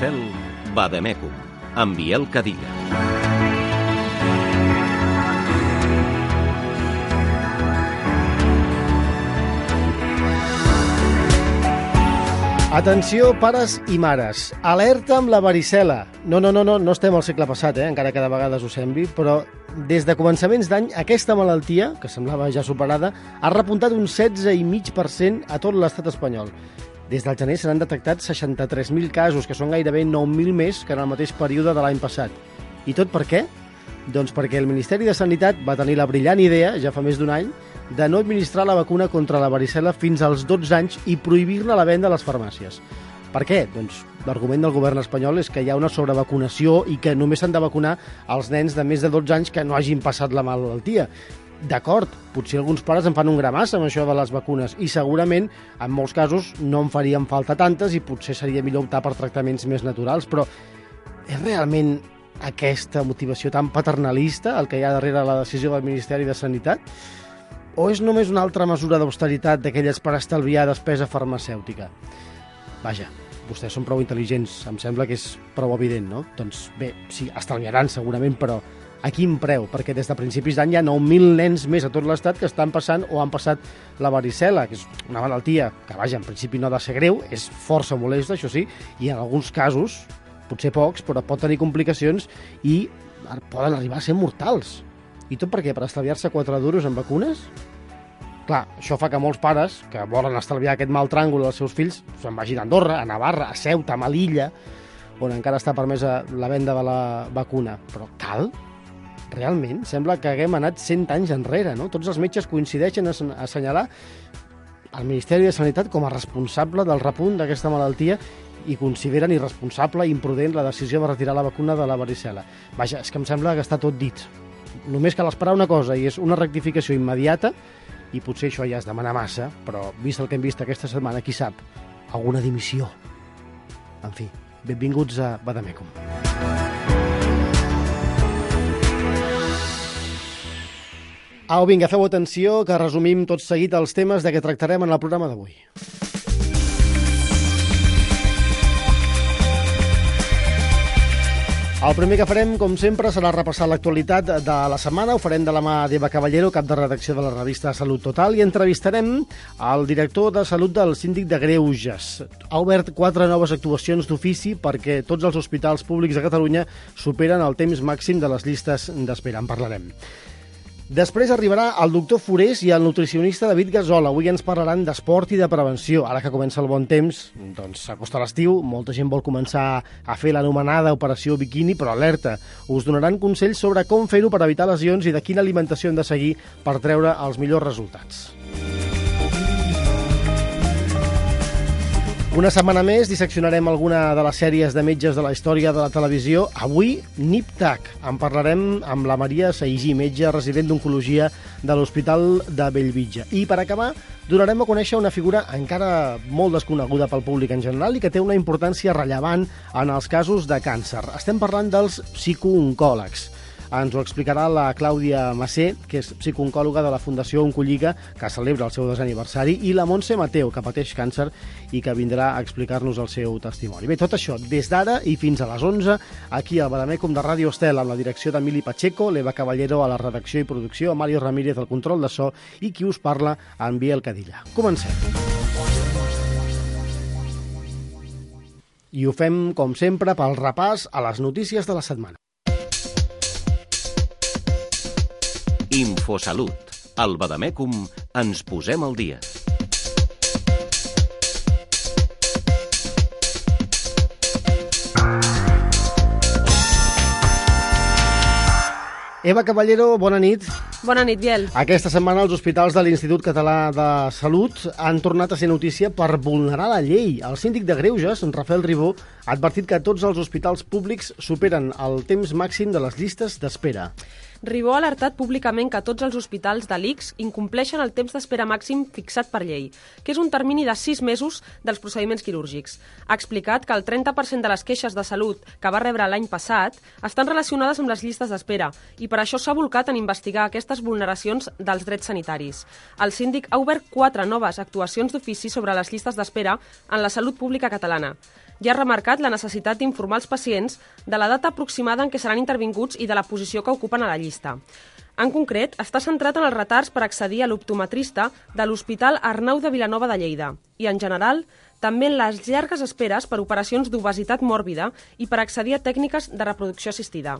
Estel, Vademecum, amb Biel Cadilla. Atenció, pares i mares. Alerta amb la varicel·la. No estem al segle passat, encara que de vegades ho sembli, però des de començaments d'any aquesta malaltia, que semblava ja superada, ha repuntat un 16,5% a tot l'estat espanyol. Des del gener se n'han detectat 63.000 casos, que són gairebé 9.000 més que en el mateix període de l'any passat. I tot per què? Doncs perquè el Ministeri de Sanitat va tenir la brillant idea, ja fa més d'un any, de no administrar la vacuna contra la varicel·la fins als 12 anys i prohibir-ne la venda a les farmàcies. Per què? Doncs l'argument del govern espanyol és que hi ha una sobrevacunació i que només s'han de vacunar els nens de més de 12 anys que no hagin passat la malaltia. D'acord, potser alguns pares en fan un gramàs amb això de les vacunes i segurament, en molts casos, no en farien falta tantes i potser seria millor optar per tractaments més naturals, però és realment aquesta motivació tan paternalista el que hi ha darrere la decisió del Ministeri de Sanitat? O és només una altra mesura d'austeritat d'aquelles per estalviar despesa farmacèutica? Vaja, vostès són prou intel·ligents, em sembla que és prou evident, no? Doncs bé, sí, estalviaran segurament, però a quin preu? Perquè des de principis d'any hi ha 9.000 nens més a tot l'estat que estan passant o han passat la varicel·la, que és una malaltia que, vaja, en principi no ha de ser greu, és força molesta, això sí, i en alguns casos, potser pocs, però pot tenir complicacions i poden arribar a ser mortals. I tot per què? Per estalviar-se 4 duros en vacunes? Clar, això fa que molts pares, que volen estalviar aquest mal tràngol als seus fills, se'n vagin a Andorra, a Navarra, a Ceuta, a Melilla, on encara està permesa la venda de la vacuna. Però cal? Realment? Sembla que haguem anat 100 anys enrere, no? Tots els metges coincideixen a assenyalar el Ministeri de Sanitat com a responsable del repunt d'aquesta malaltia i consideren irresponsable i imprudent la decisió de retirar la vacuna de la varicel·la. Vaja, és que em sembla que està tot dit. Només cal esperar una cosa, i és una rectificació immediata, i potser això ja és demanar massa, però vist el que hem vist aquesta setmana, qui sap, alguna dimissió. En fi, benvinguts a Vademecum. Au, vinga, feu atenció, que resumim tot seguit els temes de què tractarem en el programa d'avui. El primer que farem, com sempre, serà repassar l'actualitat de la setmana. Ho farem de la mà d'Eva Caballero, cap de redacció de la revista Salut Total, i entrevistarem el director de Salut del Síndic de Greuges. Ha obert 4 noves actuacions d'ofici perquè tots els hospitals públics de Catalunya superen el temps màxim de les llistes d'espera. En parlarem. Després arribarà el doctor Forés i el nutricionista David Gasol. Avui ens parlaran d'esport i de prevenció. Ara que comença el bon temps, doncs s'acosta l'estiu, molta gent vol començar a fer l'anomenada operació biquini, però alerta, us donaran consells sobre com fer-ho per evitar lesions i de quina alimentació hem de seguir per treure els millors resultats. Una setmana més disseccionarem alguna de les sèries de metges de la història de la televisió. Avui, Nip-Tuck. En parlarem amb la Maria Saigí, metge resident d'oncologia de l'Hospital de Bellvitge. I per acabar, donarem a conèixer una figura encara molt desconeguda pel públic en general i que té una importància rellevant en els casos de càncer. Estem parlant dels psicooncòlegs. Ens ho explicarà la Clàudia Massé, que és psicooncòloga de la Fundació Oncolliga, que celebra el seu 2è aniversari, i la Montse Mateu, que pateix càncer i que vindrà a explicar-nos el seu testimoni. Bé, tot això des d'ara i fins a les 11, aquí al Vademecum de Ràdio Estel, amb la direcció d'Emili Pacheco, l'Eva Caballero a la redacció i producció, Mario Ramírez al control de so i qui us parla, en Biel Cadilla. Comencem. I ho fem, com sempre, pel repàs a les notícies de la setmana. Infosalut. Al Vademecum ens posem al dia. Eva Caballero, bona nit. Bona nit, Biel. Aquesta setmana els hospitals de l'Institut Català de Salut han tornat a ser notícia per vulnerar la llei. El síndic de Greuges, Rafael Ribó, ha advertit que tots els hospitals públics superen el temps màxim de les llistes d'espera. Ribó ha alertat públicament que tots els hospitals de l'ICS incompleixen el temps d'espera màxim fixat per llei, que és un termini de 6 mesos dels procediments quirúrgics. Ha explicat que el 30% de les queixes de salut que va rebre l'any passat estan relacionades amb les llistes d'espera i per això s'ha volcat en investigar aquestes vulneracions dels drets sanitaris. El síndic ha obert 4 noves actuacions d'ofici sobre les llistes d'espera en la salut pública catalana. Ja ha remarcat la necessitat d'informar els pacients de la data aproximada en què seran intervinguts i de la posició que ocupen a la llista. En concret, està centrat en els retards per accedir a l'optometrista de l'Hospital Arnau de Vilanova de Lleida i, en general, també en les llargues esperes per operacions d'obesitat mòrbida i per accedir a tècniques de reproducció assistida.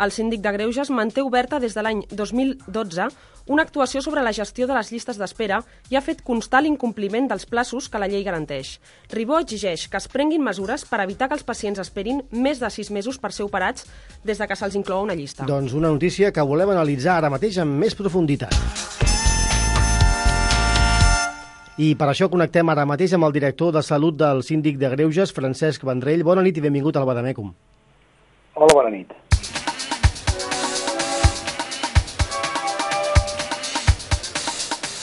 El síndic de Greuges manté oberta des de l'any 2012 una actuació sobre la gestió de les llistes d'espera i ha fet constar l'incompliment dels plaços que la llei garanteix. Ribó exigeix que es prenguin mesures per evitar que els pacients esperin més de 6 mesos per ser operats des de que se'ls inclou una llista. Doncs una notícia que volem analitzar ara mateix amb més profunditat. I per això connectem ara mateix amb el director de Salut del Síndic de Greuges, Francesc Vendrell. Bona nit i benvingut al Badamècum. Hola, bona nit.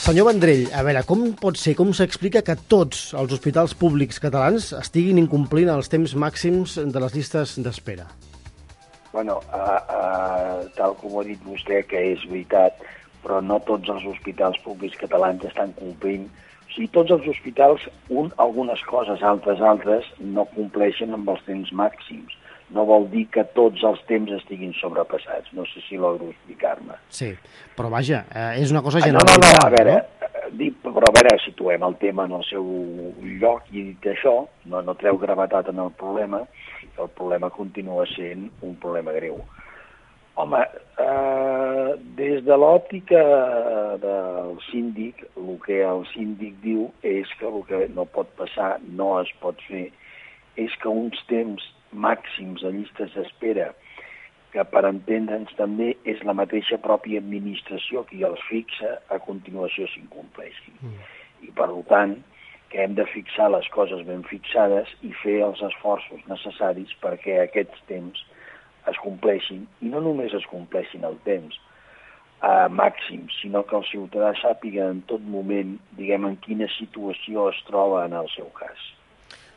Senyor Vendrell, a veure, com pot ser, com s'explica que tots els hospitals públics catalans estiguin incomplint els temps màxims de les llistes d'espera? Bueno, tal com ho ha dit vostè, que és veritat, però no tots els hospitals públics catalans estan complint. O sigui, tots els hospitals, algunes coses, altres, no compleixen amb els temps màxims. No vol dir que tots els temps estiguin sobrepassats. No sé si logro explicar-me. Sí, però vaja, és una cosa No, generalitzada. a veure, situem el tema en el seu lloc i dit això, no treu gravetat en el problema, el problema continua sent un problema greu. Home, des de l'òptica del síndic, el que el síndic diu és que el que no pot passar, no es pot fer, és que uns temps màxims a llistes d'espera, que per entendre'ns també és la mateixa pròpia administració qui els fixa, a continuació s'incompleixin. I per tant, que hem de fixar les coses ben fixades i fer els esforços necessaris perquè aquests temps es compleixin, i no només es compleixin el temps màxim, sinó que el ciutadà sàpiga en tot moment, diguem, en quina situació es troba en el seu cas.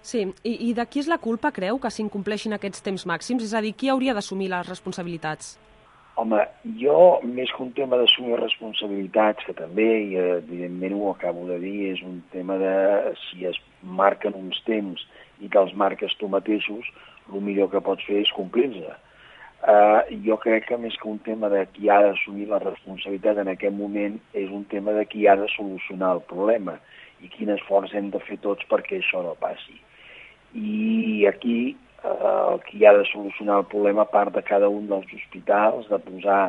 Sí, i de qui és la culpa, creu, que s'incompleixin aquests temps màxims? És a dir, qui hauria d'assumir les responsabilitats? Home, jo, més que un tema d'assumir responsabilitats, que també, i evidentment ho acabo de dir, és un tema de si es marquen uns temps i te'ls marques tu mateixos, el millor que pots fer és complir-se. Jo crec que més que un tema de qui ha d'assumir la responsabilitat en aquest moment és un tema de qui ha de solucionar el problema i quin esforç hem de fer tots perquè això no passi. I aquí qui ha de solucionar el problema, a part de cada un dels hospitals, de posar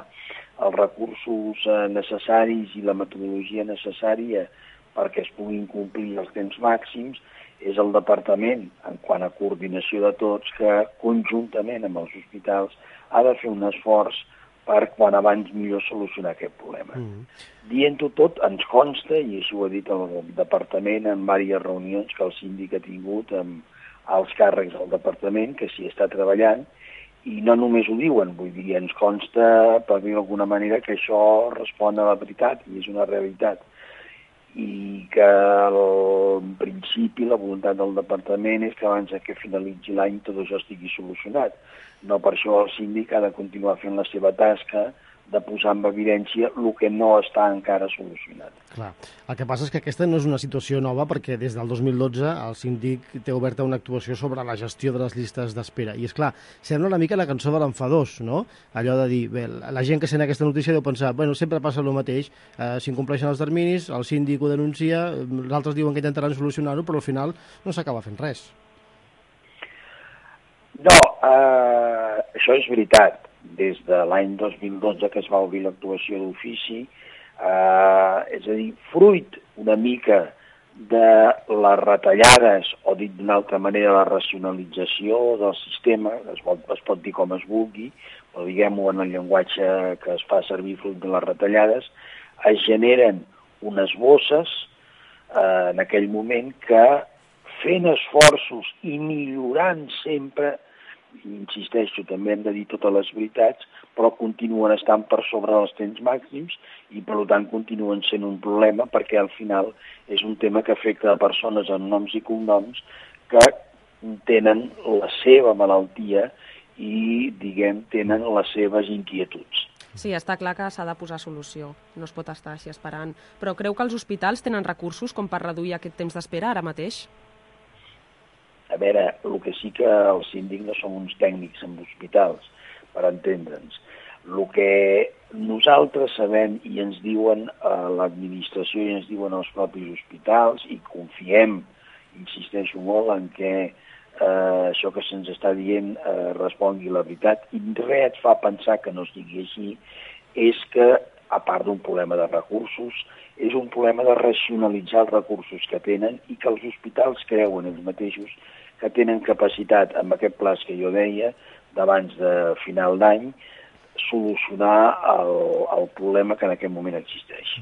els recursos necessaris i la metodologia necessària perquè es puguin complir els temps màxims, és el departament, en quant a coordinació de tots, que conjuntament amb els hospitals ha de fer un esforç per quan abans millor solucionar aquest problema. Dient-ho tot, ens consta, i així ho ha dit el departament en diverses reunions que el síndic ha tingut amb els càrrecs del departament, que s'hi està treballant, i no només ho diuen, vull dir, ens consta, per dir d'alguna manera, que això respon a la veritat i és una realitat. I que en principi la voluntat del departament és que abans que finalitzi l'any tot això estigui solucionat. No per això el síndic ha de continuar fent la seva tasca de posar en evidència el que no està encara solucionat. Clar. El que passa és que aquesta no és una situació nova perquè des del 2012 el síndic té oberta una actuació sobre la gestió de les llistes d'espera. I és clar, sembla una mica la cançó de l'enfadós, no? Allò de dir, bé, la gent que sent aquesta notícia deu pensar, bueno, sempre passa el mateix, s'incompleixen els terminis, el síndic ho denuncia, els altres diuen que intentaran solucionar-ho, però al final no s'acaba fent res. No, això és veritat. Des de l'any 2012 que es va obrir l'actuació d'ofici, és a dir, fruit una mica de les retallades, o dit d'una altra manera, la racionalització del sistema, es pot dir com es vulgui, però diguem-ho en el llenguatge que es fa servir fruit de les retallades, es generen unes bosses en aquell moment que, fent esforços i millorant sempre, insisteixo, també hem de dir totes les veritats, però continuen estant per sobre dels temps màxims i, per tant, continuen sent un problema perquè, al final, és un tema que afecta a persones amb noms i cognoms que tenen la seva malaltia i, tenen les seves inquietuds. Sí, està clar que s'ha de posar solució. No es pot estar així esperant. Però creu que els hospitals tenen recursos com per reduir aquest temps d'espera ara mateix? A veure, el que sí que el síndic no som uns tècnics en hospitals, per entendre'ns. El que nosaltres sabem i ens diuen a l'administració i ens diuen els propis hospitals, i confiem, insisteixo molt, en què això que se'ns està dient respongui la veritat, i res et fa pensar que no sigui així, és que, a part d'un problema de recursos, és un problema de racionalitzar els recursos que tenen i que els hospitals creuen ells mateixos que tenen capacitat, amb aquest pla que jo deia, d'abans de final d'any, solucionar el problema que en aquest moment existeix.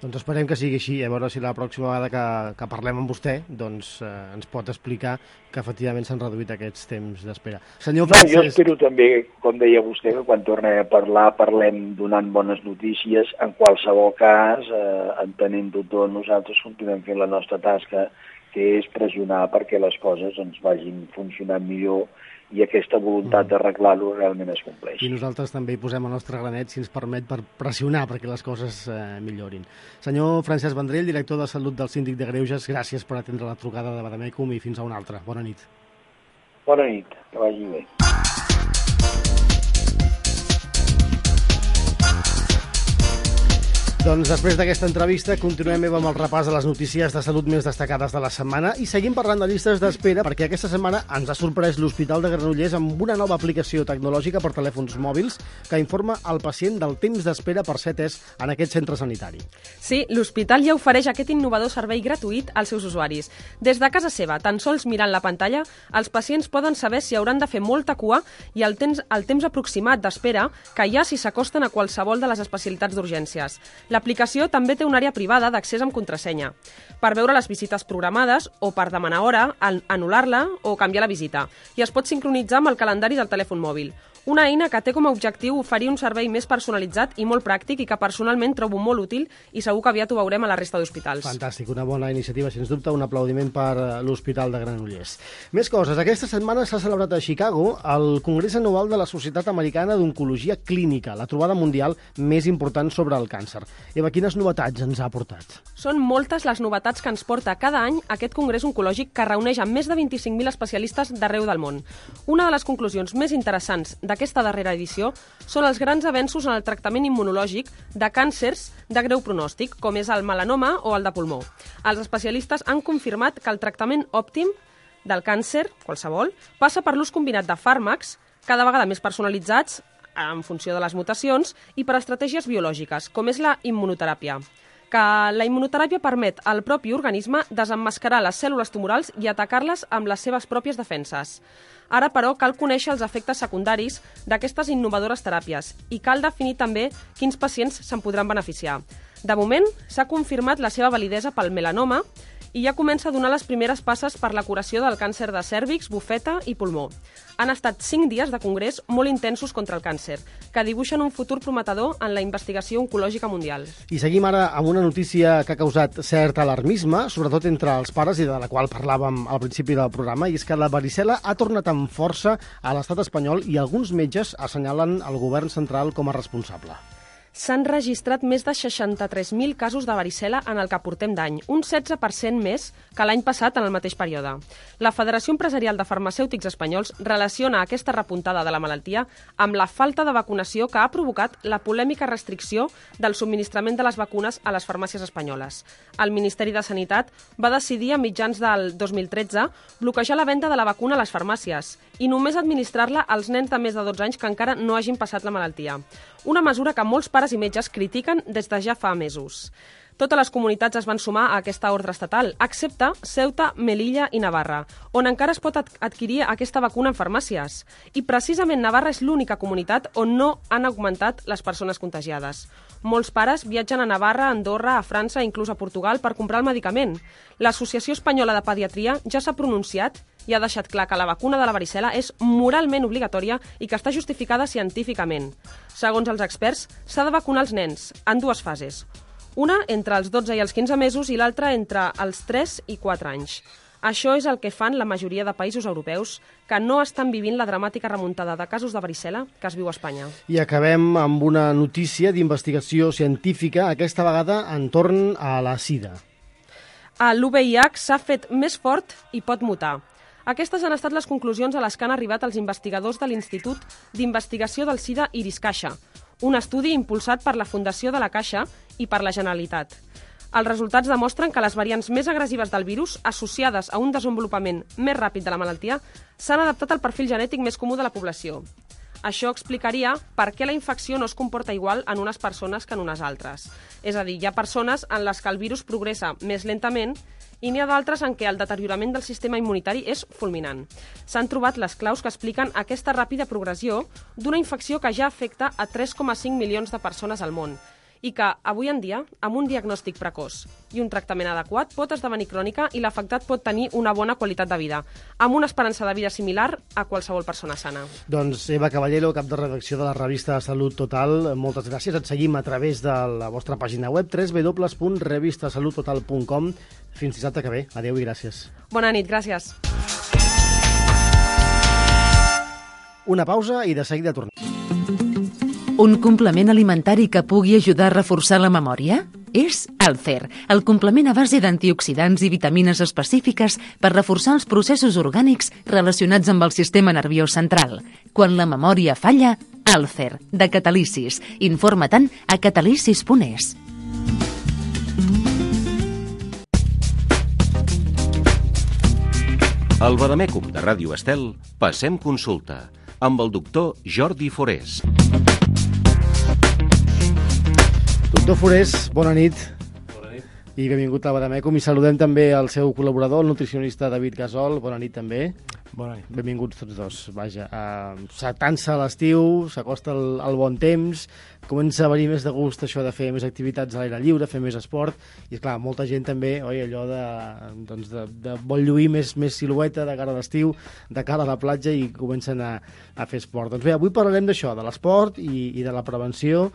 Doncs esperem que sigui així, a veure si la pròxima vegada que parlem amb vostè doncs, ens pot explicar que efectivament s'han reduït aquests temps d'espera. Senyor Francesc... Jo espero també, com deia vostè, que quan tornem a parlar parlem donant bones notícies. En qualsevol cas, entenent-ho tot, nosaltres continuem fent la nostra tasca, que és pressionar perquè les coses ens vagin funcionant millor i aquesta voluntat d'arreglar-ho realment es compleix. I nosaltres també hi posem el nostre granet, si ens permet, per pressionar perquè les coses millorin. Senyor Francesc Vendrell, director de Salut del Síndic de Greuges, gràcies per atendre la trucada de Badamècum i fins a una altra. Bona nit. Bona nit, que vagi bé. Doncs després d'aquesta entrevista continuem amb el repàs de les notícies de salut més destacades de la setmana i seguim parlant de llistes d'espera perquè aquesta setmana ens ha sorprès l'Hospital de Granollers amb una nova aplicació tecnològica per telèfons mòbils que informa al pacient del temps d'espera per ser atès en aquest centre sanitari. Sí, l'hospital ja ofereix aquest innovador servei gratuït als seus usuaris. Des de casa seva, tan sols mirant la pantalla, els pacients poden saber si hauran de fer molta cua i el temps aproximat d'espera que hi ha si s'acosten a qualsevol de les especialitats d'urgències. L'aplicació també té una àrea privada d'accés amb contrasenya per veure les visites programades o per demanar hora, anul·lar-la o canviar la visita. I es pot sincronitzar amb el calendari del telèfon mòbil. Una eina que té com a objectiu oferir un servei més personalitzat i molt pràctic i que personalment trobo molt útil i segur que aviat ho veurem a la resta d'hospitals. Fantàstic, una bona iniciativa, sens dubte, un aplaudiment per l'Hospital de Granollers. Més coses. Aquesta setmana s'ha celebrat a Chicago el Congrés Anual de la Societat Americana d'Oncologia Clínica, la trobada mundial més important sobre el càncer. Eva, quines novetats ens ha portat? Són moltes les novetats que ens porta cada any aquest congrés oncològic que reuneix amb més de 25.000 especialistes d'arreu del món. Una de les conclusions més interessants d'aquesta darrera edició són els grans avenços en el tractament immunològic de càncers de greu pronòstic, com és el melanoma o el de pulmó. Els especialistes han confirmat que el tractament òptim del càncer, qualsevol, passa per l'ús combinat de fàrmacs, cada vegada més personalitzats en funció de les mutacions i per estratègies biològiques, com és la immunoteràpia. Que la immunoteràpia permet al propi organisme desemmascarar les cèl·lules tumorals i atacar-les amb les seves pròpies defenses. Ara, però, cal conèixer els efectes secundaris d'aquestes innovadores teràpies i cal definir també quins pacients se'n podran beneficiar. De moment, s'ha confirmat la seva validesa pel melanoma i ja comença a donar les primeres passes per la curació del càncer de cèrvix, bufeta i pulmó. Han estat 5 dies de congrés molt intensos contra el càncer, que dibuixen un futur prometedor en la investigació oncològica mundial. I seguim ara amb una notícia que ha causat cert alarmisme, sobretot entre els pares, i de la qual parlàvem al principi del programa, i és que la varicel·la ha tornat amb força a l'estat espanyol i alguns metges assenyalen el govern central com a responsable. S'han registrat més de 63.000 casos de varicel·la en el que portem d'any, un 16% més que l'any passat en el mateix període. La Federació Empresarial de Farmacèutics Espanyols relaciona aquesta repuntada de la malaltia amb la falta de vacunació que ha provocat la polèmica restricció del subministrament de les vacunes a les farmàcies espanyoles. El Ministeri de Sanitat va decidir a mitjans del 2013 bloquejar la venda de la vacuna a les farmàcies i només administrar-la als nens de més de 12 anys que encara no hagin passat la malaltia. Una mesura que molts pares i metges critiquen des de ja fa mesos. Totes les comunitats es van sumar a aquesta ordre estatal, excepte Ceuta, Melilla i Navarra, on encara es pot adquirir aquesta vacuna en farmàcies. I precisament Navarra és l'única comunitat on no han augmentat les persones contagiades. Molts pares viatgen a Navarra, a Andorra, a França i inclús a Portugal per comprar el medicament. L'Associació Espanyola de Pediatria ja s'ha pronunciat i ha deixat clar que la vacuna de la varicel·la és moralment obligatòria i que està justificada científicament. Segons els experts, s'ha de vacunar els nens en 2 fases. Una entre els 12 i els 15 mesos i l'altra entre els 3 i 4 anys. Això és el que fan la majoria de països europeus que no estan vivint la dramàtica remuntada de casos de varicel·la que es viu a Espanya. I acabem amb una notícia d'investigació científica, aquesta vegada entorn a la sida. L'UVIH s'ha fet més fort i pot mutar. Aquestes han estat les conclusions a les que han arribat els investigadors de l'Institut d'Investigació del SIDA Iris-Caixa, un estudi impulsat per la Fundació de la Caixa i per la Generalitat. Els resultats demostren que les variants més agressives del virus, associades a un desenvolupament més ràpid de la malaltia, s'han adaptat al perfil genètic més comú de la població. Això explicaria per què la infecció no es comporta igual en unes persones que en unes altres. És a dir, hi ha persones en les que el virus progressa més lentament i n'hi ha d'altres en què el deteriorament del sistema immunitari és fulminant. S'han trobat les claus que expliquen aquesta ràpida progressió d'una infecció que ja afecta a 3,5 milions de persones al món i que, avui en dia, amb un diagnòstic precoç i un tractament adequat, pot esdevenir crònica i l'afectat pot tenir una bona qualitat de vida, amb una esperança de vida similar a qualsevol persona sana. Doncs Eva Caballero, cap de redacció de la revista Salut Total, moltes gràcies. Et seguim a través de la vostra pàgina web www.revistasaluttotal.com. Fins dissabte que ve. Adéu i gràcies. Bona nit, gràcies. Una pausa i de seguida tornem. Un complement alimentari que pugui ajudar a reforçar la memòria? És Alcer, el complement a base d'antioxidants i vitamines específiques per reforçar els processos orgànics relacionats amb el sistema nerviós central. Quan la memòria falla, Alcer, de Catalisis. Informa-te'n a catalisis.es. Al Vademècum de Ràdio Estel, passem consulta amb el doctor Jordi Forés. Doctor Forés, bona nit. Bona nit. I benvingut a Vademècum. I saludem també el seu col·laborador, el nutricionista David Gasol. Bona nit també. Bona nit. Benvinguts tots dos. Vaja, s'atansa l'estiu, s'acosta el bon temps, comença a venir més de gust això de fer més activitats a l'aire lliure, fer més esport, i esclar, molta gent també, allò de vol lluir més silueta de cara a l'estiu, de cara a la platja, i comencen a fer esport. Doncs bé, avui parlarem d'això, de l'esport i de la prevenció.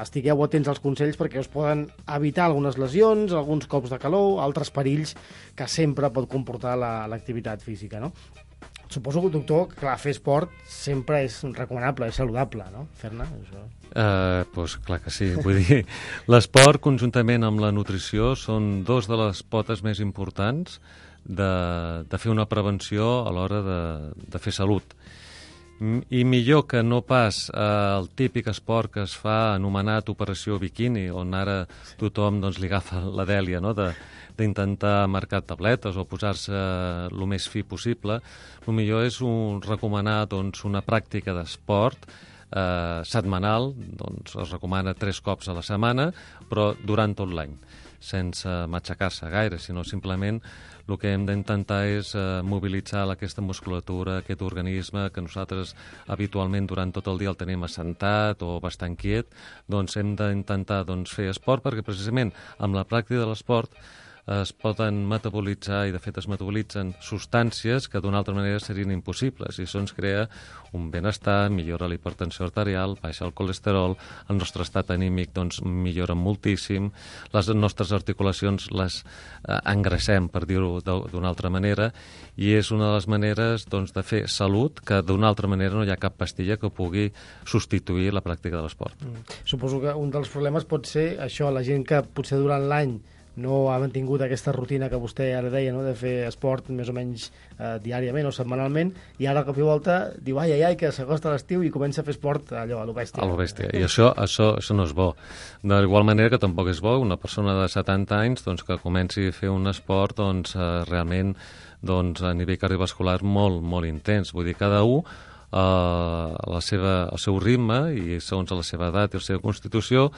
Estigueu atents als consells perquè us poden evitar algunes lesions, alguns cops de calor, altres perills que sempre pot comportar l'activitat física, no? Suposo, doctor, que clar, fer esport sempre és recomanable, és saludable, no? Fer-ne, això. Pues clar que sí. Vull dir, l'esport, conjuntament amb la nutrició, són dos de les potes més importants de fer una prevenció a l'hora de fer salut. I millor que no pas el típic esport que es fa anomenat operació biquini, on ara tothom li agafa la dèlia, no?, d'intentar marcar tabletes o posar-se el més fi possible. El millor és recomanar una pràctica d'esport setmanal, es recomana 3 cops a la setmana, però durant tot l'any, sense matxacar-se gaire, sinó simplement el que hem d'intentar és mobilitzar aquesta musculatura, aquest organisme que nosaltres habitualment durant tot el dia el tenim assentat o bastant quiet. Doncs hem d'intentar fer esport perquè precisament amb la pràctica de l'esport es poden metabolitzar, i de fet es metabolitzen substàncies que d'una altra manera serien impossibles, i això ens crea un benestar, millora la hipertensió arterial, baixa el colesterol, el nostre estat anímic millora moltíssim, les nostres articulacions les engreixem, per dir-ho d'una altra manera, i és una de les maneres de fer salut que d'una altra manera no hi ha cap pastilla que pugui substituir la pràctica de l'esport. Suposo que un dels problemes pot ser això, la gent que potser durant l'any no ha mantingut aquesta rutina que vostè ara deia, no?, de fer esport més o menys diàriament o setmanalment, i ara cop i volta diu ai, que s'acosta l'estiu i comença a fer esport allò, a lo bèstia. A lo bèstia, i això no és bo. D'igual manera que tampoc és bo una persona de 70 anys que comenci a fer un esport realment a nivell cardiovascular molt, molt intens. Vull dir, cada un el seu ritme i segons la seva edat i la seva constitució,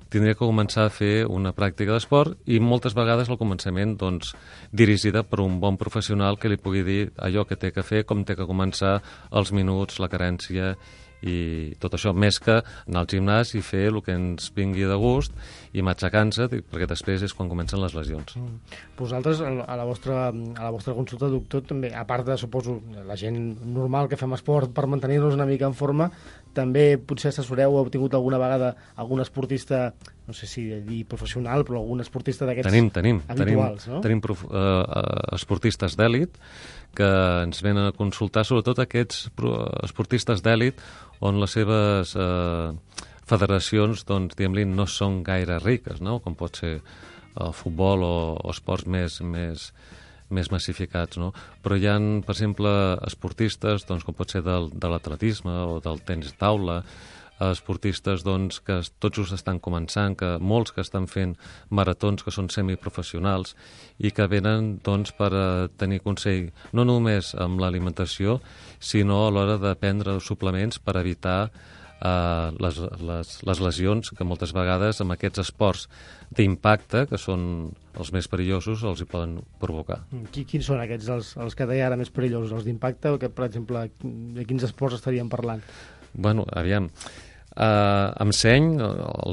tindria que començar a fer una pràctica d'esport i moltes vegades al començament doncs, dirigida per un bon professional que li pugui dir allò que té que fer, com té que començar, els minuts, la carència i tot això, més que anar al gimnàs i fer el que ens vingui de gust i matxacar-se, perquè després és quan comencen les lesions. Vosaltres, a la vostra consulta, doctor, també, a part de, suposo, la gent normal que fem esport per mantenir-nos una mica en forma, també potser assessoreu o heu tingut alguna vegada algun esportista, no sé si dir professional, però algun esportista d'aquests habituals, no? Tenim esportistes d'èlit que ens venen a consultar, sobretot aquests esportistes d'èlit on les seves federacions, doncs, diguem-li, no són gaire riques, no? Com pot ser el futbol o esports més massificats, no? Però hi ha, per exemple, esportistes, doncs, com pot ser de l'atletisme o del tenis taula, esportistes doncs, que tots just estan començant, molts que estan fent maratons que són semiprofessionals i que venen doncs, per tenir consell no només amb l'alimentació, sinó a l'hora de prendre suplements per evitar les lesions que moltes vegades amb aquests esports d'impacte, que són els més perillosos, els hi poden provocar. Quins són aquests, els que deia ara més perillosos, els d'impacte, o que, per exemple, de quins esports estaríem parlant? Bueno, aviam, amb seny,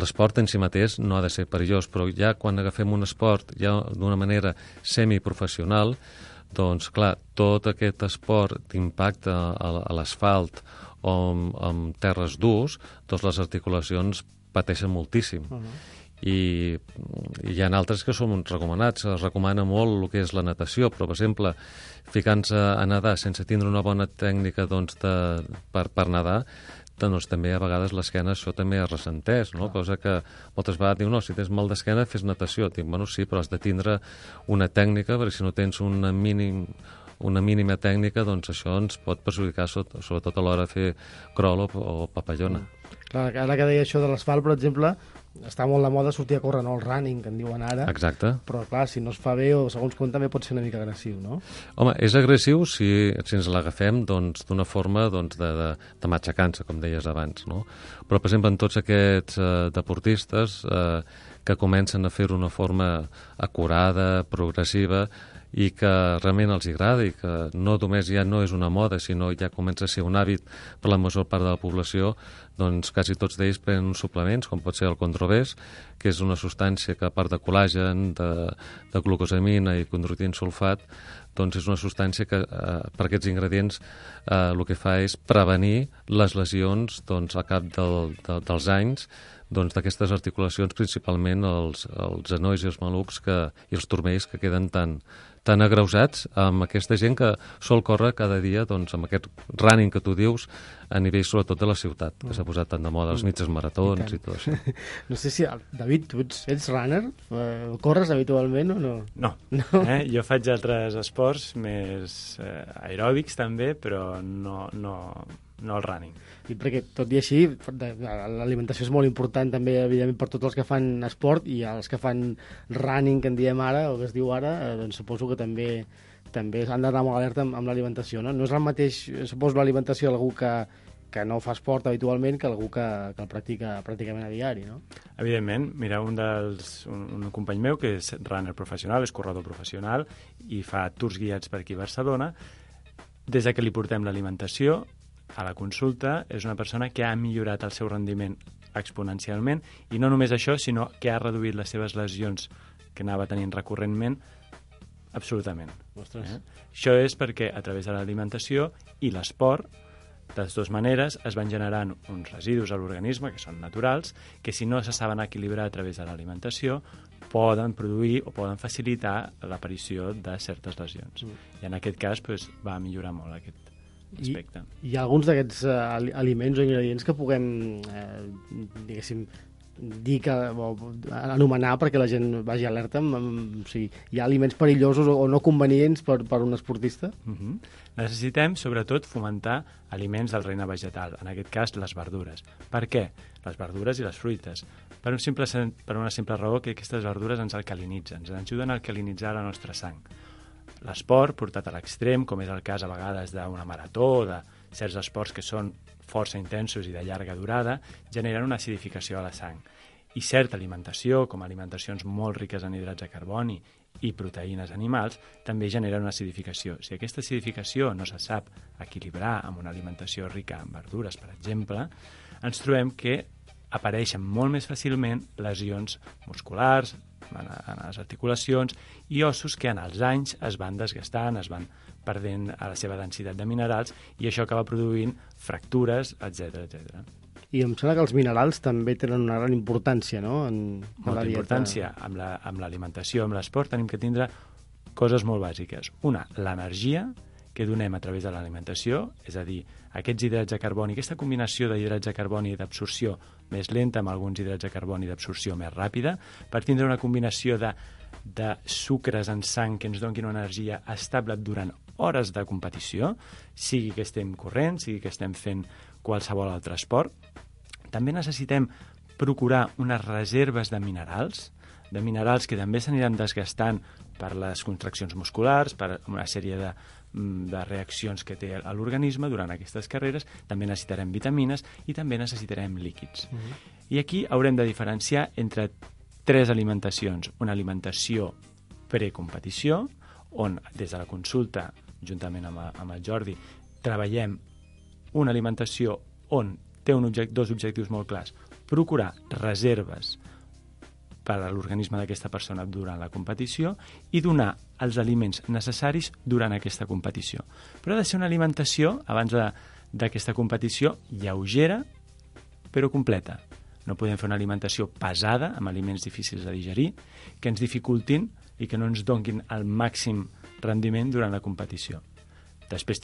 l'esport en si mateix no ha de ser perillós, però ja quan agafem un esport ja d'una manera semiprofessional, doncs, clar, tot aquest esport d'impacte a l'asfalt o amb terres durs, doncs les articulacions pateixen moltíssim. I hi ha altres que són recomanats. Es recomana molt el que és la natació, però, per exemple, ficant-se a nedar sense tindre una bona tècnica doncs, per nedar, doncs també a vegades l'esquena això també es ressenteix, no? Cosa que moltes vegades diu, no, si tens mal d'esquena fes natació. Dic, bueno, sí, però has de tindre una tècnica, perquè si no tens una mínima tècnica, doncs això ens pot perjudicar, sobretot a l'hora de fer crawl o papallona. Clar, ara que deia això de l'asfalt, per exemple, està molt de moda sortir a córrer, no? El running, que en diuen ara. Exacte. Però, clar, si no es fa bé o segons com també pot ser una mica agressiu, no? Home, és agressiu si ens l'agafem doncs, d'una forma doncs, de matxacança, com deies abans, no? Però, per exemple, en tots aquests deportistes que comencen a fer-ho d'una forma acurada, progressiva, i que realment els agrada i que no només ja no és una moda, sinó ja comença a ser un hàbit per la major part de la població, doncs quasi tots d'ells prenen uns suplements, com pot ser el Condrovés, que és una substància que, a part de col·làgen, de glucosamina i condroitin sulfat, doncs és una substància que per aquests ingredients el que fa és prevenir les lesions doncs, al cap dels anys doncs, d'aquestes articulacions, principalment els genolls i els malucs i els turmells que queden tan agreujats amb aquesta gent que sol córrer cada dia doncs, amb aquest running que tu dius a nivell sobretot de la ciutat, que s'ha posat tan de moda, els mitges maratons i tot això. No sé si, David, tu ets runner? Corres habitualment o no? No. Jo faig altres esports més aeròbics també, però no el running. I perquè, tot i així, l'alimentació és molt important també, evidentment, per tots els que fan esport i els que fan running, que en diem ara, o que es diu ara, doncs suposo que també han d'anar molt alerta amb l'alimentació, no? No és el mateix, suposo, l'alimentació d'algú que no fa esport habitualment que algú que el practica pràcticament a diari, no? Evidentment, mira, un company meu que és runner professional, és corredor professional i fa tours guiats per aquí a Barcelona. Des que li portem l'alimentació a la consulta, és una persona que ha millorat el seu rendiment exponencialment i no només això, sinó que ha reduït les seves lesions que anava tenint recurrentment absolutament. Això és perquè a través de l'alimentació i l'esport, de les dues maneres, es van generant uns residus a l'organisme que són naturals, que si no se saben equilibrar a través de l'alimentació poden produir o poden facilitar l'aparició de certes lesions. I en aquest cas va millorar molt aquest aspecte. Hi ha alguns d'aquests aliments o ingredients que puguem, diguéssim, dir o anomenar perquè la gent vagi alerta? O sigui, hi ha aliments perillosos o no convenients per un esportista? Necessitem, sobretot, fomentar aliments del regne vegetal, en aquest cas les verdures. Per què? Les verdures i les fruites. Per una simple raó que aquestes verdures ens alcalinitzen, ens ajuden a alcalinitzar la nostra sang. L'esport, portat a l'extrem, com és el cas a vegades d'una marató, de certs esports que són força intensos i de llarga durada, generen una acidificació a la sang. I certa alimentació, com alimentacions molt riques en hidrats de carboni i proteïnes animals, també genera una acidificació. Si aquesta acidificació no se sap equilibrar amb una alimentació rica en verdures, per exemple, ens trobem que apareixen molt més fàcilment lesions musculars, en les articulacions i ossos que en els anys es van desgastant, es van perdent a la seva densitat de minerals i això acaba produint fractures, etc etc. I em sembla que els minerals també tenen una gran importància, no? Molta importància. Amb l'alimentació, amb l'esport, tenim que tindre coses molt bàsiques. Una, l'energia que donem a través de l'alimentació, és a dir, aquests hidrats de carboni, aquesta combinació d'hidrats de carboni i d'absorció més lenta amb alguns hidrats de carboni d'absorció més ràpida, per tindre una combinació de sucres en sang que ens donin una energia estable durant hores de competició, sigui que estem corrent, sigui que estem fent qualsevol altre esport. També necessitem procurar unes reserves de minerals que també s'aniran desgastant per les contraccions musculars, per una sèrie de reaccions que té a l'organisme durant aquestes carreres. També necessitarem vitamines i també necessitarem líquids. I aquí haurem de diferenciar entre 3 alimentacions. Una alimentació precompetició, on des de la consulta, juntament amb el Jordi, treballem una alimentació on té dos objectius molt clars. Procurar reserves per a l'organisme d'aquesta persona durant la competició i donar els aliments necessaris durant aquesta competició. Però ha de ser una alimentació, abans d'aquesta competició, lleugera però completa. No podem fer una alimentació pesada, amb aliments difícils de digerir, que ens dificultin i que no ens donin el màxim rendiment durant la competició. Després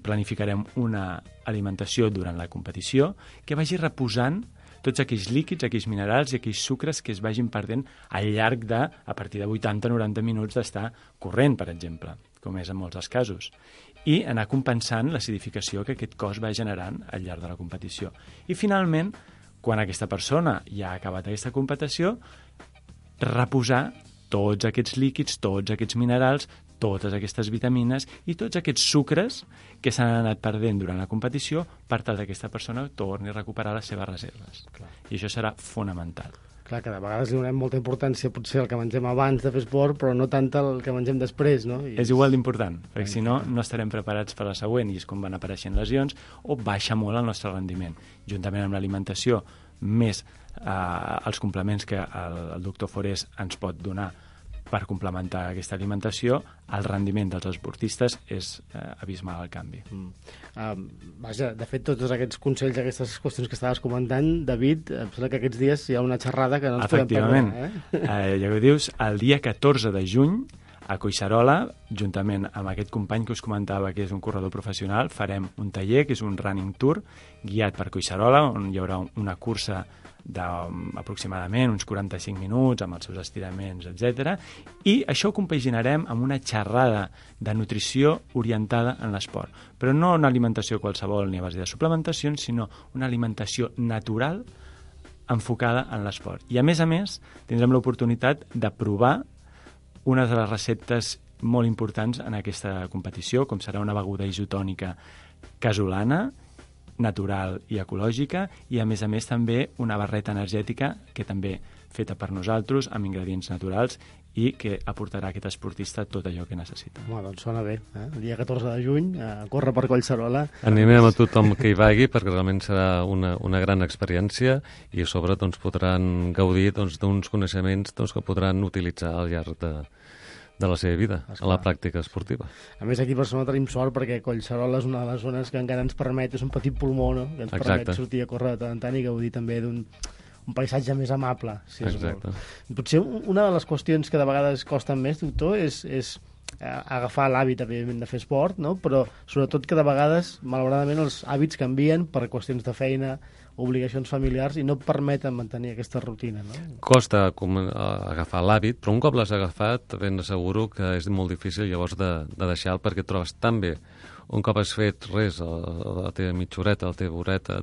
planificarem una alimentació durant la competició que vagi reposant tots aquells líquids, aquells minerals i aquells sucres que es vagin perdent al llarg a partir de 80-90 minuts d'estar corrent, per exemple, com és en molts dels casos. I anar compensant l'acidificació que aquest cos va generant al llarg de la competició. I finalment, quan aquesta persona ja ha acabat aquesta competició, reposar tots aquests líquids, tots aquests minerals, totes aquestes vitamines i tots aquests sucres que s'han anat perdent durant la competició per tal que aquesta persona torni a recuperar les seves reserves. Clar. I això serà fonamental. Clar, que de vegades li donem molta importància potser al que mengem abans de fer esport, però no tant al que mengem després, no? És igual d'important, perquè si no, no estarem preparats per la següent i és com van apareixent lesions o baixa molt el nostre rendiment. Juntament amb l'alimentació, més els complements que el doctor Forés ens pot donar per complementar aquesta alimentació, el rendiment dels esportistes és abismal el canvi. Vaja, de fet, tots aquests consells, aquestes qüestions que estaves comentant, David, em sembla que aquests dies hi ha una xerrada que no ens podem perdre. Ja ho dius, el dia 14 de juny, a Collserola, juntament amb aquest company que us comentava que és un corredor professional, farem un taller, que és un running tour, guiat per Collserola, on hi haurà una cursa d'aproximadament uns 45 minuts amb els seus estiraments, etc. I això ho compaginarem amb una xerrada de nutrició orientada en l'esport. Però no una alimentació qualsevol ni a base de suplementacions, sinó una alimentació natural enfocada en l'esport. I a més, tindrem l'oportunitat de provar una de les receptes molt importants en aquesta competició, com serà una beguda isotònica casolana, natural i ecològica, i a més també una barreta energètica que també feta per nosaltres, amb ingredients naturals i que aportarà a aquest esportista tot allò que necessita. Doncs sona bé, el dia 14 de juny, a córrer per Collserola. Animem a tothom que hi vagi perquè realment serà una gran experiència i a sobre podran gaudir d'uns coneixements que podran utilitzar al llarg de la seva vida, a la pràctica esportiva. A més, aquí a Barcelona tenim sort perquè Collserola és una de les zones que encara ens permet, és un petit pulmó, no?, que ens permet sortir a córrer de tant en tant i gaudir també d'un paisatge més amable, si es vol. Potser una de les qüestions que de vegades costen més, doctor, és agafar l'hàbit, evidentment, de fer esport, no?, però sobretot que de vegades, malauradament, els hàbits canvien per qüestions de feina, obligacions familiars i no permeten mantenir aquesta rutina, no? Costa agafar l'hàbit, però un cop l'has agafat ben asseguro que és molt difícil llavors de deixar-lo perquè et trobes tan bé. Un cop has fet res, la teva mitja horeta, la teva horeta,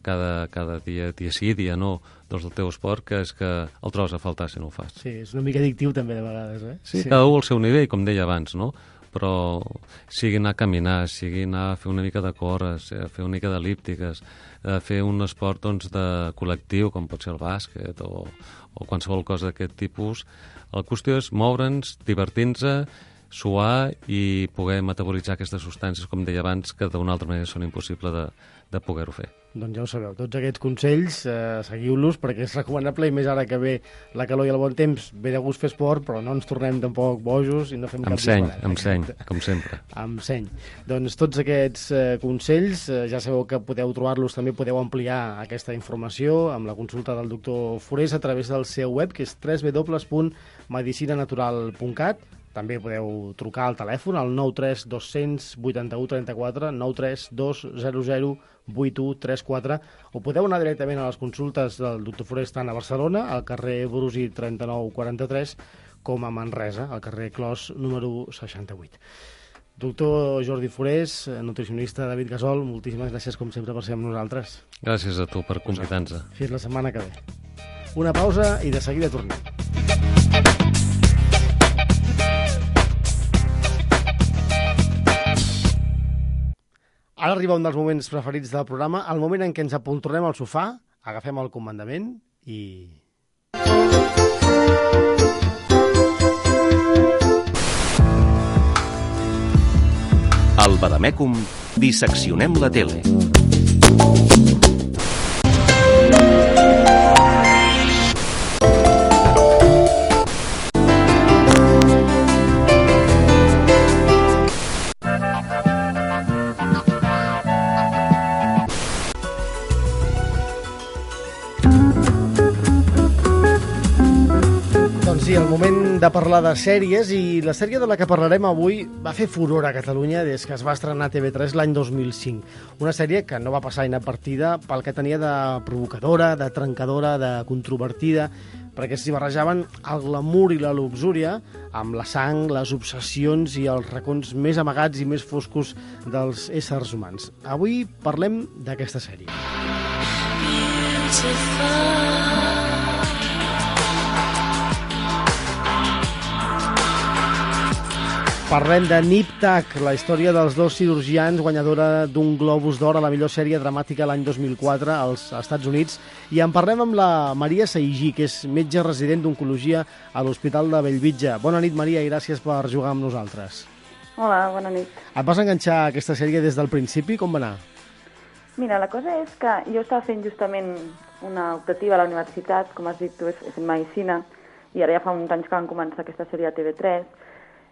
cada dia sí, dia no, del teu esport, que és que el trobes a faltar si no ho fas. Sí, és una mica addictiu també de vegades, eh? Sí, cada un al seu nivell, com deia abans, no? però sigui anar a caminar, sigui anar a fer una mica de cores, fer una mica d'elíptiques, fer un esport doncs, de col·lectiu, com pot ser el bàsquet o qualsevol cosa d'aquest tipus. La qüestió és moure'ns, divertir-nos, suar i poder metabolitzar aquestes substàncies, com deia abans, que d'una altra manera són impossibles de poder-ho fer. Doncs ja ho sabeu, tots aquests consells, seguiu-los, perquè és recomanable, i més ara que ve la calor i el bon temps, ve de gust fer esport, però no ens tornem tampoc bojos i no fem cap disbarat. Amb seny, com sempre. Amb seny. Doncs tots aquests consells, ja sabeu que podeu trobar-los, també podeu ampliar aquesta informació amb la consulta del doctor Forés a través del seu web, que és www.medicinanatural.cat. També podeu trucar al telèfon al 93 200 81 34, 93 200 8134, o podeu anar directament a les consultes del doctor Forés tant a Barcelona, al carrer Brusi 3943, com a Manresa, al carrer Clos número 68. Doctor Jordi Forés, nutricionista David Gasol, moltíssimes gràcies com sempre per ser amb nosaltres. Gràcies a tu per convidar-nos. Fins la setmana que ve. Una pausa i de seguida tornem. Ara arriba un dels moments preferits del programa, el moment en què ens apoltronem al sofà, agafem el comandament i... Al Badamècum disseccionem la tele. Sí, el moment de parlar de sèries, i la sèrie de la que parlarem avui va fer furor a Catalunya des que es va estrenar a TV3 l'any 2005. Una sèrie que no va passar inadvertida pel que tenia de provocadora, de trencadora, de controvertida, perquè s'hi barrejaven el glamour i la luxúria amb la sang, les obsessions i els racons més amagats i més foscos dels éssers humans. Avui parlem d'aquesta sèrie. Parlem de Nip Tuck, la història dels dos cirurgians, guanyadora d'un Globus d'Or a la millor sèrie dramàtica l'any 2004 als Estats Units. I en parlem amb la Maria Saigí, que és metge resident d'oncologia a l'Hospital de Bellvitge. Bona nit, Maria, i gràcies per jugar amb nosaltres. Hola, bona nit. Et vas enganxar a aquesta sèrie des del principi? Com va anar? Mira, la cosa és que jo estava fent justament una optativa a la universitat, com has dit tu, he fet medicina, i ara ja fa uns anys que van començar aquesta sèrie a TV3,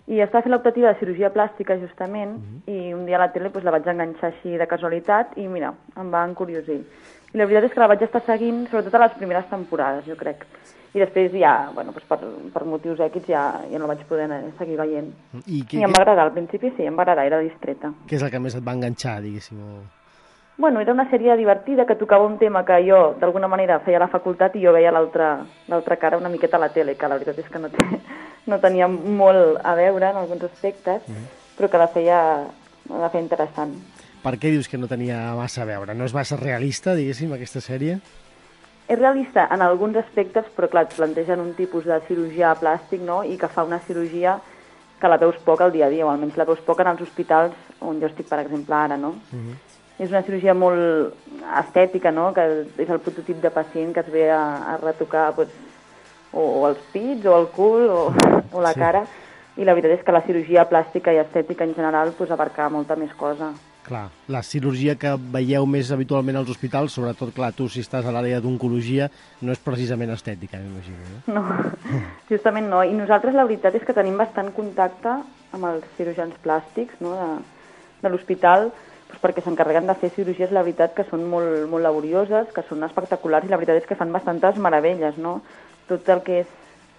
i estava fent l'optativa de cirurgia plàstica, justament, i un dia a la tele la vaig enganxar així de casualitat, i mira, em va encuriosir. I la veritat és que la vaig estar seguint, sobretot a les primeres temporades, jo crec. I després ja, bueno, per motius èquids ja no la vaig poder seguir veient. I em va agradar, al principi sí, em va agradar, era distreta. Què és el que més et va enganxar, diguéssim? Bueno, era una sèrie divertida que tocava un tema que jo, d'alguna manera, feia a la facultat i jo veia l'altra cara una miqueta a la tele, que la veritat és que no tenia molt a veure en alguns aspectes, però que la feia interessant. Per què dius que no tenia massa a veure? No és massa realista, diguéssim, aquesta sèrie? És realista en alguns aspectes, però clar, et plantegen un tipus de cirurgià plàstic, no?, i que fa una cirurgia que la veus poc al dia a dia, o almenys la veus poc en els hospitals on jo estic, per exemple, ara, no? És una cirurgia molt estètica, no?, que és el prototip de pacient que es ve a retocar o els pits, o el cul, o la cara, i la veritat és que la cirurgia plàstica i estètica en general abarca molta més cosa. Clar, la cirurgia que veieu més habitualment als hospitals, sobretot, clar, tu si estàs a l'àrea d'oncologia, no és precisament estètica, m'imagino. No, justament no. I nosaltres la veritat és que tenim bastant contacte amb els cirurgians plàstics, no?, de l'hospital, perquè s'encarreguen de fer cirurgies, la veritat, que són molt, molt laborioses, que són espectaculars, i la veritat és que fan bastantes meravelles, no? Tot el que és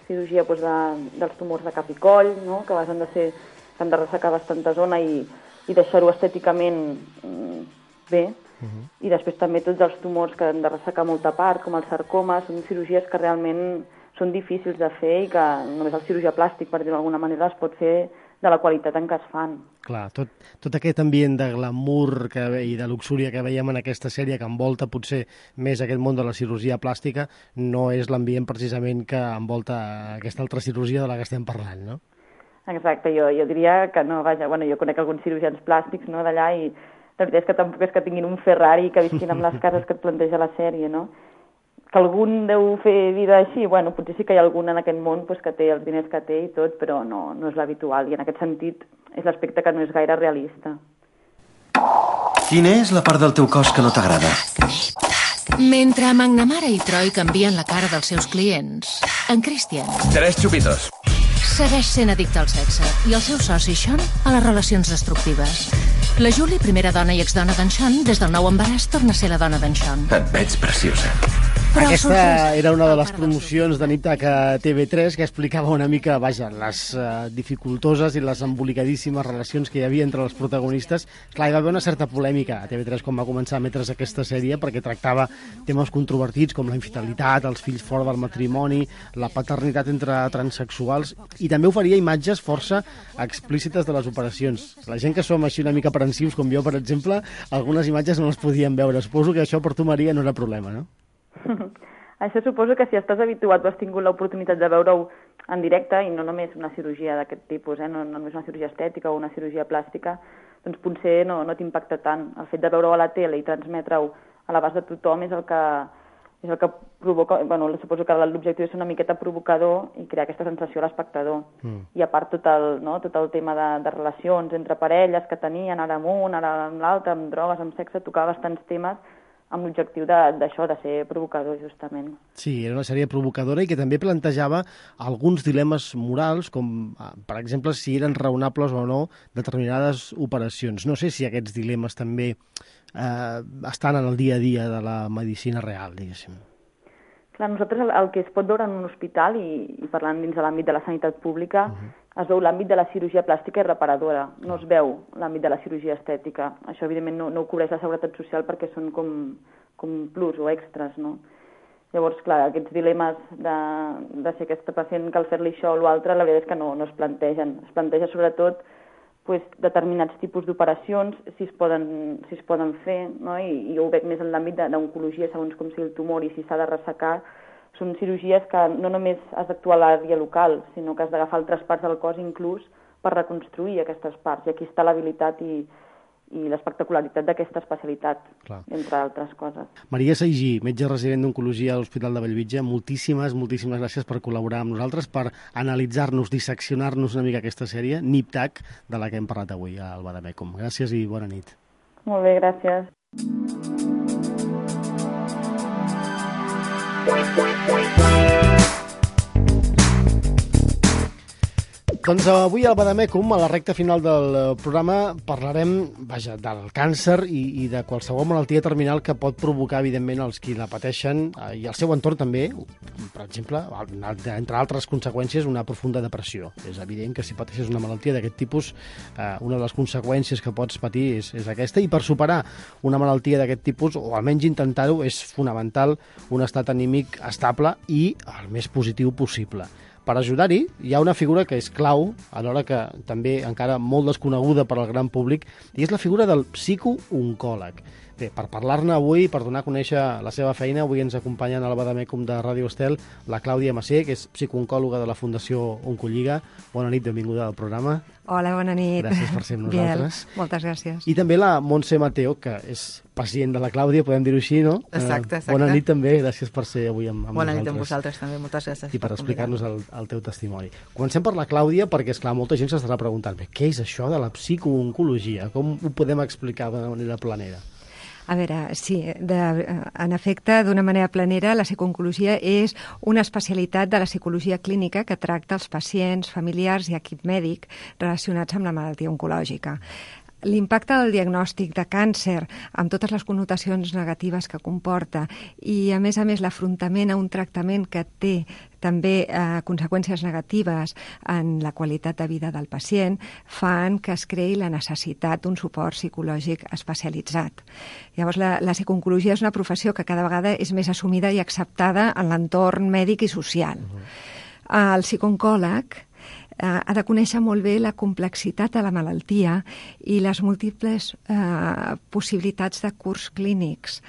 cirurgia dels tumors de cap i coll, no?, que han de ressecar bastanta zona i deixar-ho estèticament bé, i després també tots els tumors que han de ressecar molta part, com el sarcoma, són cirurgies que realment són difícils de fer i que només el cirurgià plàstic, per dir-ho d'alguna manera, es pot fer de la qualitat en què es fan. Clar, tot aquest ambient de glamour i de luxúria que veiem en aquesta sèrie, que envolta potser més aquest món de la cirurgia plàstica, no és l'ambient precisament que envolta aquesta altra cirurgia de la que estem parlant, no? Exacte, jo diria que no, vaja, bueno, jo conec alguns cirurgians plàstics, no, d'allà, i la veritat és que tampoc és que tinguin un Ferrari que visquin amb les cases que et planteja la sèrie, no? Que algun deu fer vida així, bueno, potser sí que hi ha algun en aquest món pues, que té els diners que té i tot, però no és l'habitual, i en aquest sentit és l'aspecte que no és gaire realista. Quina és la part del teu cos que no t'agrada? Mentre McNamara i Troy canvien la cara dels seus clients, en Christian 3 xupitos. segueix sent addicte al sexe i el seu soci, Sean, a les relacions destructives. La Julie, primera dona i exdona d'en Sean, des del nou embaràs torna a ser la dona d'en Sean. Et veig preciosa. Però Aquesta era una de les promocions de Niptac a TV3 que explicava una mica, vaja, les dificultoses i les embolicadíssimes relacions que hi havia entre els protagonistes. Clar, hi va haver una certa polèmica a TV3 quan va començar a emetre's aquesta sèrie perquè tractava temes controvertits com la infidelitat, els fills fora del matrimoni, la paternitat entre transexuals, i també oferia imatges força explícites de les operacions. La gent que som així una mica aprensius, com jo, per exemple, algunes imatges no les podíem veure. Suposo que això per tu, Maria, no era problema, no? Això suposo que si estàs habituat o has tingut l'oportunitat de veure-ho en directe, i no només una cirurgia d'aquest tipus, no només una cirurgia estètica o una cirurgia plàstica, doncs potser no t'impacta tant. El fet de veure-ho a la tele i transmetre-ho a l'abast de tothom és el que provoca, bueno, suposo que l'objectiu és ser una miqueta provocador i crear aquesta sensació a l'espectador. I a part tot el tema de relacions entre parelles que tenien, ara amb un, ara amb l'altre, amb drogues, amb sexe, tocava bastants temes amb l'objectiu d'això, de ser provocador, justament. Sí, era una sèrie provocadora i que també plantejava alguns dilemes morals, com, per exemple, si eren raonables o no determinades operacions. No sé si aquests dilemes també estan en el dia a dia de la medicina real, diguéssim. Clar, nosaltres el que es pot veure en un hospital, i parlant dins de l'àmbit de la sanitat pública, es veu l'àmbit de la cirurgia plàstica i reparadora, no es veu l'àmbit de la cirurgia estètica. Això, evidentment, no ho cobreix la Seguretat Social perquè són com plus o extras, no? Llavors, clar, aquests dilemes de si aquest pacient cal fer-li això o l'altre, la veritat és que no es plantegen. Es planteja, sobretot, determinats tipus d'operacions, si es poden fer, no? I jo ho veig més en l'àmbit d'oncologia, segons com sigui el tumor i si s'ha de ressecar. Són cirurgies que no només has d'actuar a l'àrea local, sinó que has d'agafar altres parts del cos inclús per reconstruir aquestes parts. I aquí està l'habilitat i l'espectacularitat d'aquesta especialitat, entre altres coses. Maria Saigí, metge resident d'Oncologia a l'Hospital de Bellvitge, moltíssimes gràcies per col·laborar amb nosaltres, per analitzar-nos, disseccionar-nos una mica aquesta sèrie, Niptac, de la que hem parlat avui a Alba de Mècum. Gràcies i bona nit. Molt bé, gràcies. Doncs avui al Badamècum, a la recta final del programa, parlarem, del càncer i de qualsevol malaltia terminal que pot provocar, evidentment, els qui la pateixen i el seu entorn també, per exemple, entre altres conseqüències, una profunda depressió. És evident que si pateixes una malaltia d'aquest tipus, una de les conseqüències que pots patir és aquesta, i per superar una malaltia d'aquest tipus, o almenys intentar-ho, és fonamental un estat anímic estable i el més positiu possible. Per ajudar-hi, hi ha una figura que és clau, alhora que també encara molt desconeguda per al gran públic, i és la figura del psicooncòleg. Bé, per parlar-ne avui, per donar a conèixer la seva feina, avui ens acompanyen a la Badamècum de Ràdio Estel la Clàudia Massé, que és psicooncòloga de la Fundació Oncolliga. Bona nit, benvinguda al programa. Hola, bona nit. Gràcies per ser amb nosaltres. Bien, moltes gràcies. I també la Montse Mateo, que és pacient de la Clàudia, podem dir-ho així, no? Exacte. Bona nit també, gràcies per ser avui amb bona nosaltres. Bona nit amb vosaltres també, moltes gràcies. I per explicar-nos el teu testimoni. Comencem per la Clàudia, perquè, esclar, molta gent s'estarà preguntant què és això de la psicooncologia? Com ho podem explicar de manera planera? A veure, sí, en efecte, d'una manera planera, la psicooncologia és una especialitat de la psicologia clínica que tracta els pacients, familiars i equip mèdic relacionats amb la malaltia oncològica. L'impacte del diagnòstic de càncer, amb totes les connotacions negatives que comporta, i a més l'afrontament a un tractament que té també conseqüències negatives en la qualitat de vida del pacient, fan que es creï la necessitat d'un suport psicològic especialitzat. Llavors, la psicooncologia és una professió que cada vegada és més assumida i acceptada en l'entorn mèdic i social. El psicooncòleg ha de conèixer molt bé la complexitat de la malaltia i les múltiples possibilitats de curs clínics.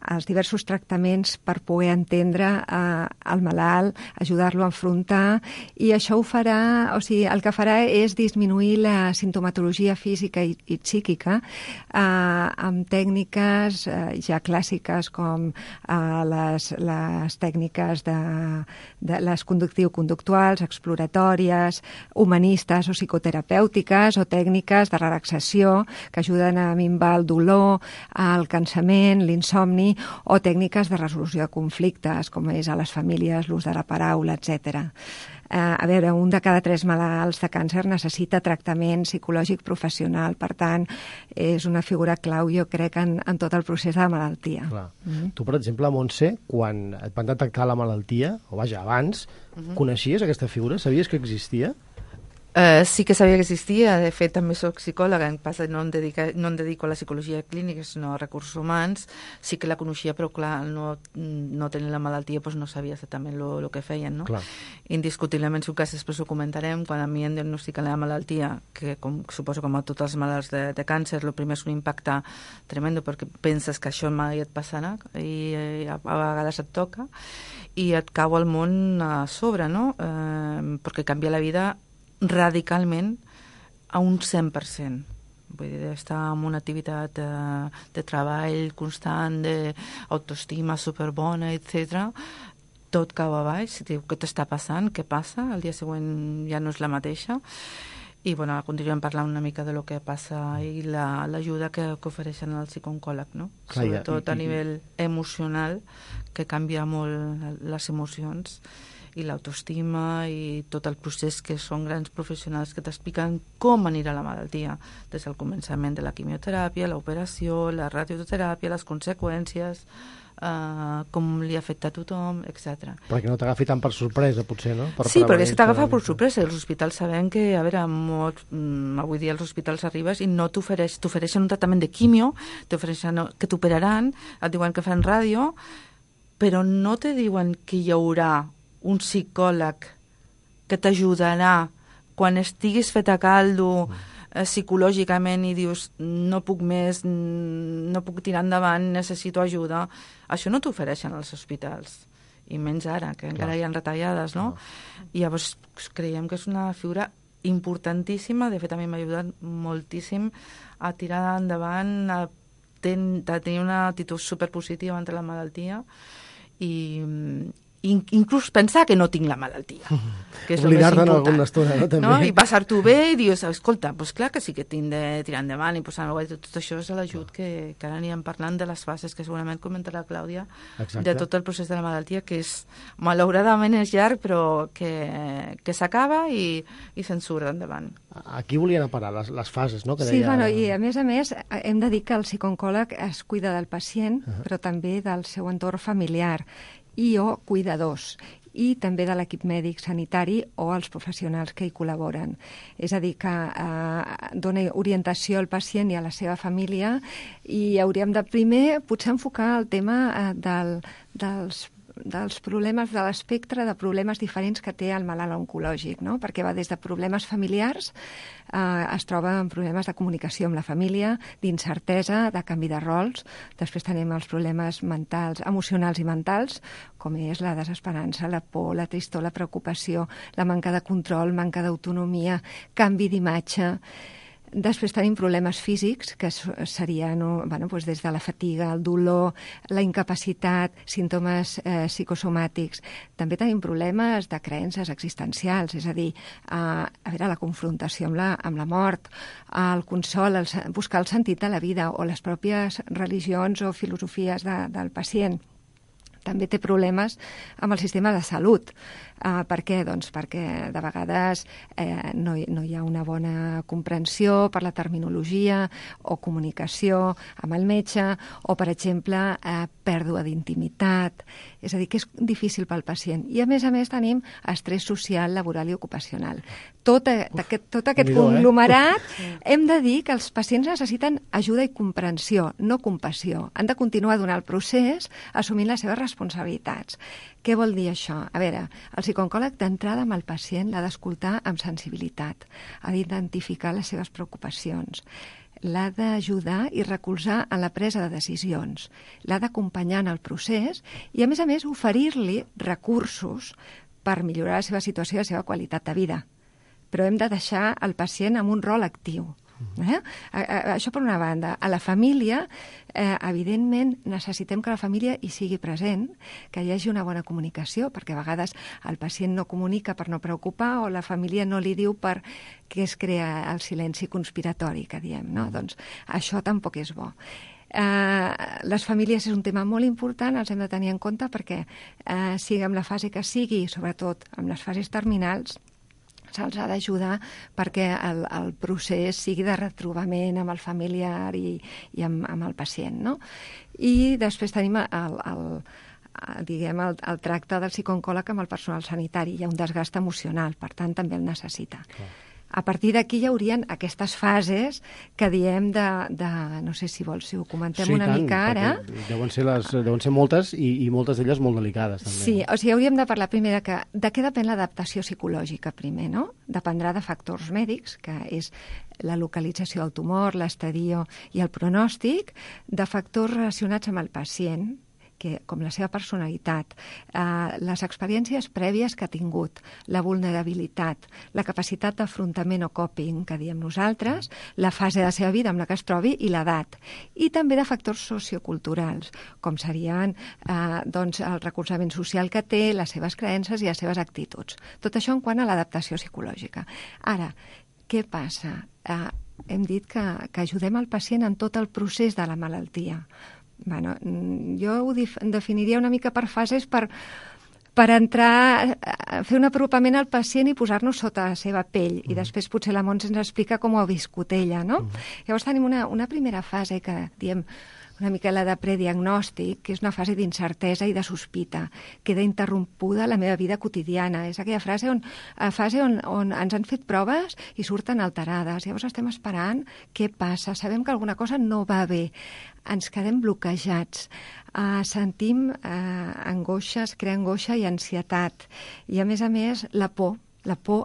els diversos tractaments per poder entendre el malalt, ajudar-lo a enfrontar, i això ho farà, o sigui, el que farà és disminuir la sintomatologia física i psíquica amb tècniques ja clàssiques com les tècniques de les conductiu-conductuals, exploratòries, humanistes o psicoterapèutiques, o tècniques de relaxació que ajuden a minvar el dolor, el cansament, l'insomni, o tècniques de resolució de conflictes, com és a les famílies, l'ús de la paraula, etc. A veure, un de cada 3 malalts de càncer necessita tractament psicològic professional, per tant, és una figura clau, jo crec, en tot el procés de la malaltia. Clar. Tu, per exemple, Montse, quan et van detectar la malaltia, o vaja, abans, coneixies aquesta figura? Sabies que existia? Sí que sabia que existia, de fet també soc psicòloga, en passa no em dedico a la psicologia clínica, sinó a recursos humans, sí que la coneixia, però clar, no tenint la malaltia doncs no sabia exactament el que feien, no? Clar. Indiscutiblement, si un cas després ho comentarem, quan a mi em diagnostiquen la malaltia, que suposo com a tots els malalts de càncer, el primer és un impacte tremendo, perquè penses que això mai et passarà, i a vegades et toca, i et cau el món a sobre, no? Perquè canvia la vida radicalment a un 100%. Vull dir, estar en una activitat de treball constant, d'autoestima superbona, etc. Tot cau a baix, diu, què t'està passant? Què passa? El dia següent ja no és la mateixa. I bueno, continuem parlant una mica de lo que passa i l'ajuda que ofereixen al psicooncòleg, no? Clar, sobretot a nivell emocional, que canvia molt les emocions i l'autoestima i tot el procés, que són grans professionals que t'expliquen com anirà la malaltia, des del començament de la quimioteràpia, l'operació, la radioteràpia, les conseqüències, com li afecta a tothom, etc. Perquè no t'agafi tan per sorpresa, potser, no? Sí, perquè és que t'agafa per sorpresa. Els hospitals sabem que, a veure, avui dia als hospitals arribes i no t'ofereixen un tractament de quimio, t'ofereixen que t'operaran, et diuen que fan ràdio, però no te diuen que hi haurà un psicòleg que t'ajudarà quan estiguis fet a caldo psicològicament i dius no puc més, no puc tirar endavant, necessito ajuda. Això no t'ofereixen als hospitals, i menys ara, que encara hi ha retallades, no? I llavors creiem que és una figura importantíssima. De fet, a mi m'ha ajudat moltíssim a tirar endavant, a tenir una actitud superpositiva entre la malaltia i inclús pensar que no tinc la malaltia, que és el més important. Alguna estona, no? També. No? I passar-t'ho bé i dius, escolta, doncs clar que sí que tinc de tirar endavant i posar tot això és l'ajut que ara anirem parlant de les fases que segurament comentarà Clàudia. Exacte. De tot el procés de la malaltia, que és malauradament és llarg, però que s'acaba i se'n surt endavant. Aquí volien a parar les fases, no? Que sí, deia... bueno, i a més hem de dir que el psicooncòleg es cuida del pacient, però també del seu entorn familiar i o cuidadors, i també de l'equip mèdic sanitari o els professionals que hi col·laboren. És a dir, que dona orientació al pacient i a la seva família, i hauríem de primer potser enfocar el tema dels problemes, de l'espectre de problemes diferents que té el malalt oncològic, no? Perquè va des de problemes familiars, es troba amb problemes de comunicació amb la família, d'incertesa, de canvi de rols. Després tenim els problemes mentals, emocionals i mentals, com és la desesperança, la por, la tristor, la preocupació, la manca de control, manca d'autonomia, canvi d'imatge. Després tenim problemes físics, que serien doncs des de la fatiga, el dolor, la incapacitat, símptomes psicosomàtics. També tenim problemes de creences existencials, és a dir, la confrontació amb la mort, el consol, buscar el sentit de la vida, o les pròpies religions o filosofies del pacient. També té problemes amb el sistema de salut. Per què? Doncs perquè de vegades no hi ha una bona comprensió per la terminologia o comunicació amb el metge, o, per exemple, pèrdua d'intimitat. És a dir, que és difícil pel pacient. I, a més tenim estrès social, laboral i ocupacional. Tot aquest conglomerat, hem de dir que els pacients necessiten ajuda i comprensió, no compassió. Han de continuar donant el procés assumint les seves responsabilitats. Què vol dir això? A veure, el psicooncòleg d'entrada amb el pacient l'ha d'escoltar amb sensibilitat, ha d'identificar les seves preocupacions. l'ha d'ajudar i recolzar en la presa de decisions, l'ha d'acompanyar en el procés i, a més, oferir-li recursos per millorar la seva situació i la seva qualitat de vida. Però hem de deixar el pacient amb un rol actiu. Això per una banda. A la família, evidentment, necessitem que la família hi sigui present, que hi hagi una bona comunicació, perquè a vegades el pacient no comunica per no preocupar o la família no li diu perquè es crea el silenci conspiratori, que diem, no? Doncs això tampoc és bo. Les famílies és un tema molt important, els hem de tenir en compte perquè sigui en la fase que sigui, sobretot en les fases terminals, se'ls ha d'ajudar perquè el procés sigui de retrobament amb el familiar i amb el pacient, no? I després tenim el tracte del psicooncòleg amb el personal sanitari. Hi ha un desgast emocional, per tant, també el necessita. Clar. A partir d'aquí hi haurien aquestes fases que diem no sé si vols, si ho comentem una mica ara. Deuen ser moltes i moltes d'elles molt delicades, també. Sí, o sigui, hauríem de parlar primer de què depèn l'adaptació psicològica primer, no? Dependrà de factors mèdics, que és la localització del tumor, l'estadio i el pronòstic, de factors relacionats amb el pacient, com la seva personalitat, les experiències prèvies que ha tingut, la vulnerabilitat, la capacitat d'afrontament o coping, que diem nosaltres, la fase de la seva vida amb la que es trobi i l'edat. I també de factors socioculturals, com serien el recolzament social que té, les seves creences i les seves actituds. Tot això en quant a l'adaptació psicològica. Ara, què passa? Hem dit que ajudem el pacient en tot el procés de la malaltia. Bueno, jo ho definiria una mica per fases per entrar, fer un apropament al pacient i posar-nos sota la seva pell. I després potser la Montse ens explica com ho ha viscut ella, no? Llavors tenim una primera fase que diem una mica la de prediagnòstic, que és una fase d'incertesa i de sospita. Queda interrompuda la meva vida quotidiana. És aquella fase on ens han fet proves i surten alterades. Llavors estem esperant què passa. Sabem que alguna cosa no va bé. Ens quedem bloquejats. Sentim angoixa, es crea angoixa i ansietat. I, a més, la por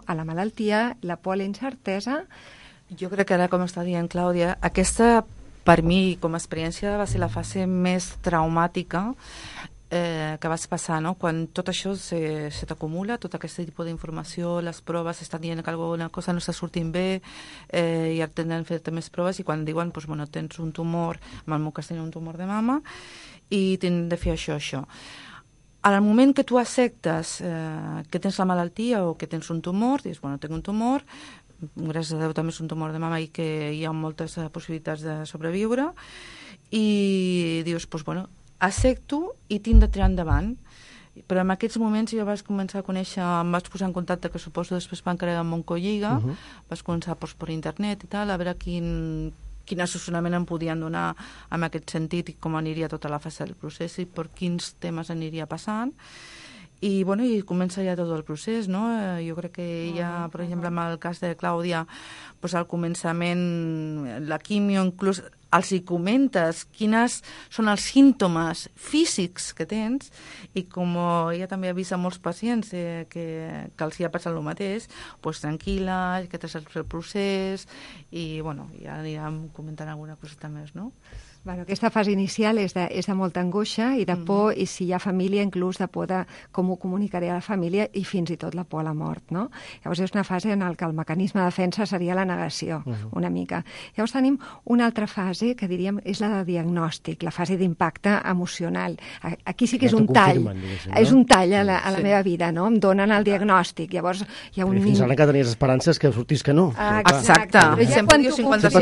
a la malaltia, la por a la incertesa. Jo crec que ara, com està dient Clàudia, aquesta, per mi, com a experiència, va ser la fase més traumàtica que vas passar, no? Quan tot això se t'acumula, tot aquest tipus d'informació, les proves, estan dient que alguna cosa no està sortint bé i ara tenen fet més proves i quan diuen, doncs, bueno, tens un tumor, en el meu cas tenia un tumor de mama i tens de fer això. Al moment que tu acceptes que tens la malaltia o que tens un tumor, dius, bueno, tinc un tumor, gràcies a Déu també és un tumor de mama i que hi ha moltes possibilitats de sobreviure i dius, doncs bueno, accepto i tinc de tirar endavant. Però en aquests moments jo vaig començar a conèixer, em vaig posar en contacte, que suposo després van crear amb Oncolliga, vaig començar per internet i tal, a veure quin assessorament em podien donar en aquest sentit i com aniria tota la fase del procés i per quins temes aniria passant. I, bueno, i comença ja tot el procés, no? Jo crec que ja, per exemple, en el cas de Clàudia, doncs al començament, la quimio, inclús els hi comentes quines són els símptomes físics que tens i com ja també ha vist a molts pacients que els hi ha passat el mateix, doncs tranquil·la, que t'has el procés i, bueno, ja anirem comentant alguna coseta més, no? Bueno, aquesta fase inicial és de molta angoixa i de por, i si hi ha família, inclús de por de com ho comunicaré a la família i fins i tot la por a la mort, no? Llavors és una fase en què el mecanisme de defensa seria la negació, una mica. Llavors tenim una altra fase que diríem és la de diagnòstic, la fase d'impacte emocional. Aquí sí que és un tall, és un tall a la meva vida, no? Em donen el diagnòstic, llavors hi ha un... Fins ara que tenies esperances que sortís que no. Exacte. Sempre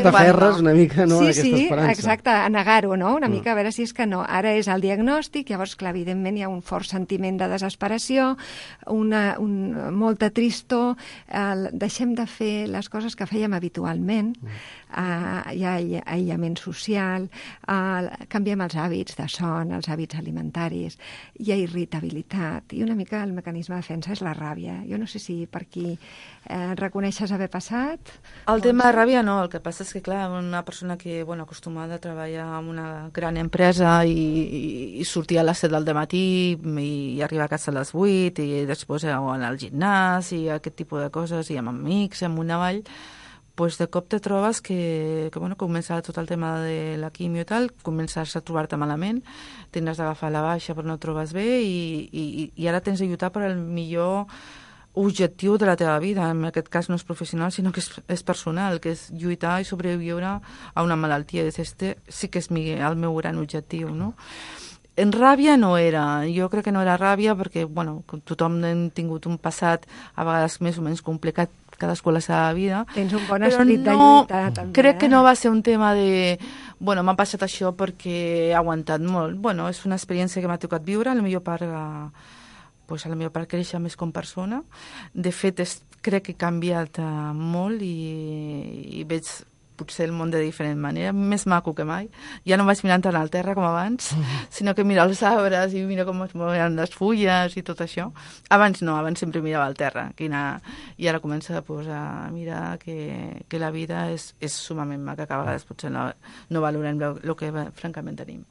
t'aferres una mica, no, a aquesta esperança. Sí, exacte, negar-ho, no? Una mica a veure si és que no. Ara és el diagnòstic, llavors, clar, evidentment hi ha un fort sentiment de desesperació, molta tristor, deixem de fer les coses que fèiem habitualment, hi ha aïllament social, canviem els hàbits de son, els hàbits alimentaris, hi ha irritabilitat, i una mica el mecanisme de defensa és la ràbia. Jo no sé si per aquí reconeixes haver passat. El tema de ràbia no, el que passa és que, clar, una persona que, bueno, acostumada a treballar en una gran empresa i sortir a les 7 del matí i arribar a casa a les 8 i després anar al gimnàs i aquest tipus de coses i amb amics, amb una vall, pues de cop te trobes que comença tot el tema de la quimio i tal, comences a trobar-te malament, tens d'agafar la baixa però no et trobes bé i ara tens de lluitar per al millor objectiu de la teva vida. En aquest cas no és professional, sinó que és personal, que és lluitar i sobreviure a una malaltia. Este sí que és el meu gran objectiu, no? En ràbia no era, jo crec que no era ràbia perquè, bueno, tothom hem tingut un passat a vegades més o menys complicat, cadascú a la seva vida. Tens un bon esperit de lluita, també. Crec que no va ser un tema de, bueno, m'ha passat això perquè he aguantat molt. Bueno, és una experiència que m'ha tocat viure, a la millor part créixer més com persona. De fet, crec que he canviat molt i veig potser el món de diferent manera, més maco que mai. Ja no vaig mirant tant al terra com abans, sinó que miro els arbres i miro com es mouen les fulles i tot això. Abans no, abans sempre mirava al terra. I ara comença a mirar que la vida és sumament maca, que a vegades potser no valorem el que francament tenim.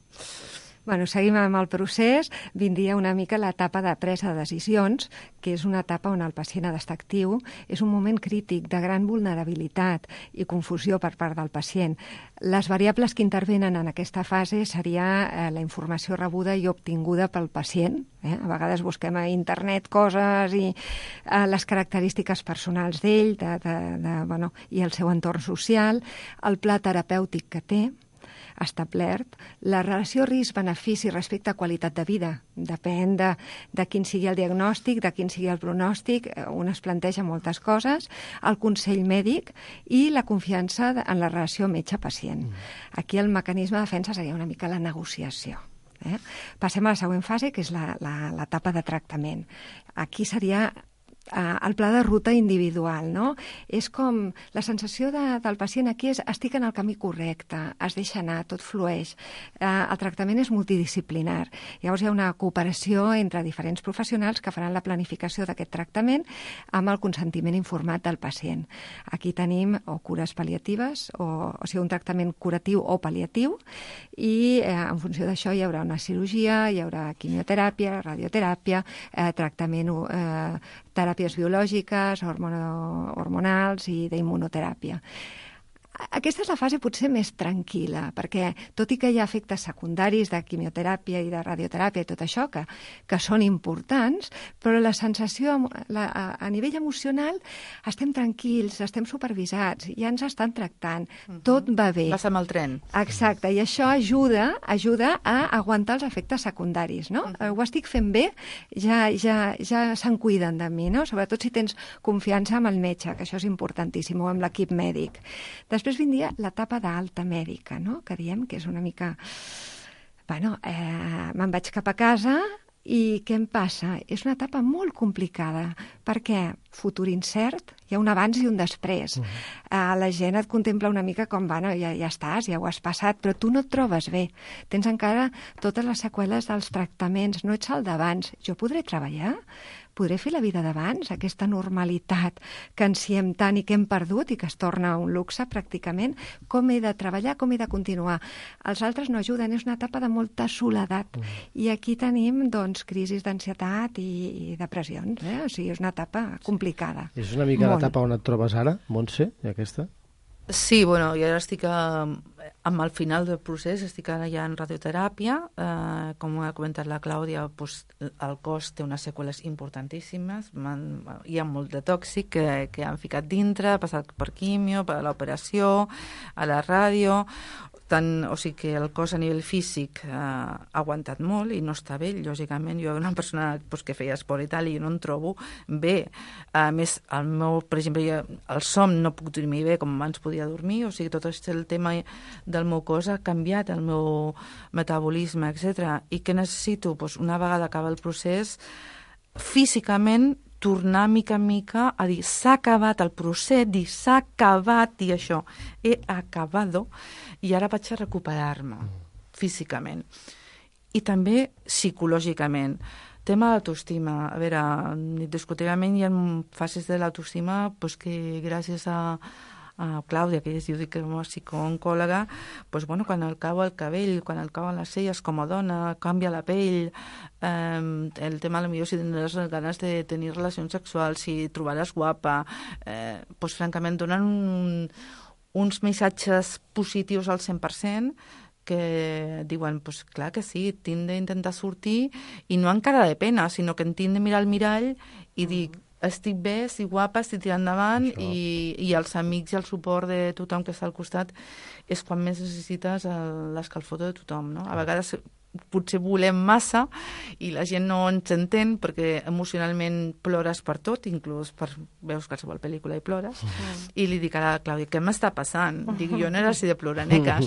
Bueno, seguim amb el procés. Vindria una mica l'etapa de presa de decisions, que és una etapa on el pacient ha d'estar actiu. És un moment crític de gran vulnerabilitat i confusió per part del pacient. Les variables que intervenen en aquesta fase seria la informació rebuda i obtinguda pel pacient. A vegades busquem a internet coses i les característiques personals d'ell i el seu entorn social, el pla terapèutic que té, establert, la relació risc-benefici respecte a qualitat de vida. Depèn de quin sigui el diagnòstic, de quin sigui el pronòstic, un es planteja moltes coses, el consell mèdic i la confiança en la relació metge-pacient. Aquí el mecanisme de defensa seria una mica la negociació. Passem a la següent fase, que és l'etapa de tractament. Aquí seria el pla de ruta individual, no? És com la sensació del pacient aquí és estic en el camí correcte, es deixa anar, tot flueix. El tractament és multidisciplinar. Llavors hi ha una cooperació entre diferents professionals que faran la planificació d'aquest tractament amb el consentiment informat del pacient. Aquí tenim o cures pal·liatives, o sigui, un tractament curatiu o pal·liatiu, i en funció d'això hi haurà una cirurgia, hi haurà quimioteràpia, radioteràpia, tractament teràpies biològiques, hormonals i d'immunoteràpia. Aquesta és la fase potser més tranquil·la, perquè tot i que hi ha efectes secundaris de quimioteràpia i de radioteràpia i tot això, que són importants, però la sensació a nivell emocional estem tranquils, estem supervisats, ja ens estan tractant, tot va bé. Vas amb el tren. Exacte, i això ajuda a aguantar els efectes secundaris, no? Ho estic fent bé, ja se'n cuiden de mi, no? Sobretot si tens confiança amb el metge, que això és importantíssim, o amb l'equip mèdic. Després vindria l'etapa d'alta mèdica, no? Que diem que és una mica... me'n vaig cap a casa i què em passa? És una etapa molt complicada, perquè futur incert, hi ha un abans i un després. La gent et contempla una mica com, ja estàs, ja ho has passat, però tu no et trobes bé. Tens encara totes les seqüeles dels tractaments, no ets el d'abans. Jo podré treballar? Podré fer la vida d'abans, aquesta normalitat que ansiem tant i que hem perdut i que es torna un luxe pràcticament? Com he de treballar, com he de continuar? Els altres no ajuden, és una etapa de molta soledat. I aquí tenim, doncs, crisis d'ansietat i depressions. O sigui, és una etapa complicada. És una mica l'etapa on et trobes ara, Montse, aquesta? Sí, bueno, jo ara estic amb el final del procés, estic ara ja en radioteràpia, com ha comentat la Clàudia, doncs, el cos té unes seqüeles importantíssimes, hi ha molt de tòxic que han ficat dintre, ha passat per quimio, per l'operació, a la ràdio, o sigui que el cos a nivell físic ha aguantat molt i no està bé, lògicament. Jo una persona que feia esport i tal i no em trobo bé. A més, per exemple, el son no puc dormir bé com abans podia dormir, o sigui, tot el tema del meu cos ha canviat, el meu metabolisme, etc. I què necessito? Una vegada acaba el procés, físicament tornar mica en mica a dir s'ha acabat el procés, dir s'ha acabat, dir això, he acabado, i ara vaig a recuperar-me físicament. I també psicològicament. Tema de l'autoestima. A veure, indiscutiblement hi ha fases de l'autoestima que gràcies a Clàudia, que es diu que com a psicooncòloga, pues, bueno, quan el cau el cabell, quan el cauen les celles com a dona, canvia la pell, el tema potser si tindràs ganes de tenir relacions sexuals, si trobaràs guapa, pues, francament donen uns missatges positius al 100%, que diuen, pues clar que sí, tinc d'intentar sortir i no amb cara de pena, sinó que en tinc de mirar al mirall i dir, estic bé, estic guapa, estic tirant endavant i els amics i el suport de tothom que està al costat és quan més necessites l'escalfor de tothom, no? A vegades potser volem massa i la gent no ens entén perquè emocionalment plores per tot, inclús veus qualsevol pel·lícula i plores, i li dic a la Clàudia, què m'està passant? Dic, jo no era així de ploraneques.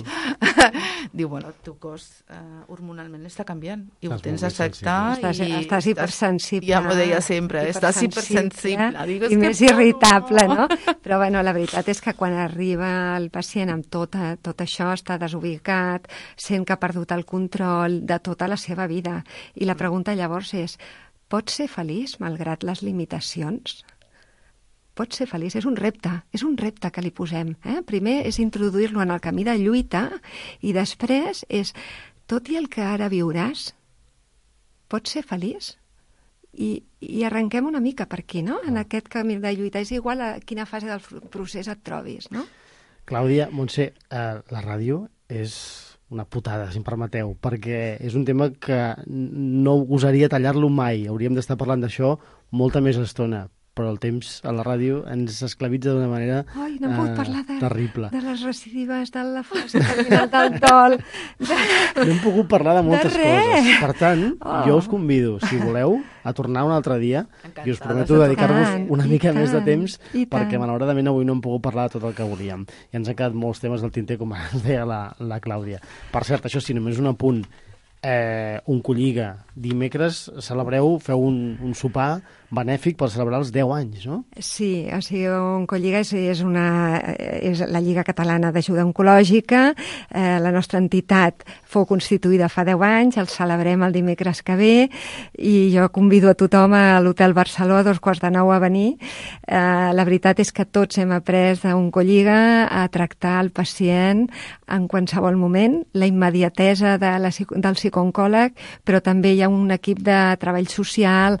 Diu, bueno, el teu cos hormonalment està canviant i ho tens d'acceptar. Estàs hipersensible. Ja m'ho deia sempre, estàs hipersensible. I més irritable, no? Però bueno, la veritat és que quan arriba el pacient amb tot això, està desubicat, sent que ha perdut el control de tota la seva vida. I la pregunta llavors és, pots ser feliç malgrat les limitacions? Pots ser feliç? És un repte que li posem. Primer és introduir-lo en el camí de lluita i després és, tot i el que ara viuràs, pots ser feliç? I arrenquem una mica per aquí, no? En aquest camí de lluita. És igual a quina fase del procés et trobis, no? Clàudia, Montse, la ràdio és una putada, si em permeteu, perquè és un tema que no gosaria tallar-lo mai. Hauríem d'estar parlant d'això molta més estona, però el temps a la ràdio ens esclavitza d'una manera Ai, no hem pogut parlar terrible. De les recidives, de la fase terminal del dol. No hem pogut parlar de moltes coses. Per tant, jo us convido, si voleu, a tornar un altre dia i us prometo dedicar-vos una mica més de temps perquè malauradament avui no hem pogut parlar de tot el que volíem. I ens han quedat molts temes del tinter, com ens deia la Clàudia. Per cert, això sí, només un apunt. Oncolliga, dimecres celebreu, feu un sopar benèfic per celebrar els 10 anys, no? Sí, o sigui, Oncolliga és la Lliga Catalana d'Ajuda Oncològica. La nostra entitat fou constituïda fa 10 anys, el celebrem el dimecres que ve i jo convido a tothom a l'Hotel Barceló a 8:45 a venir. La veritat és que tots hem après d'Oncolliga a tractar el pacient en qualsevol moment, la immediatesa del psicooncòleg, però també hi ha un equip de treball social,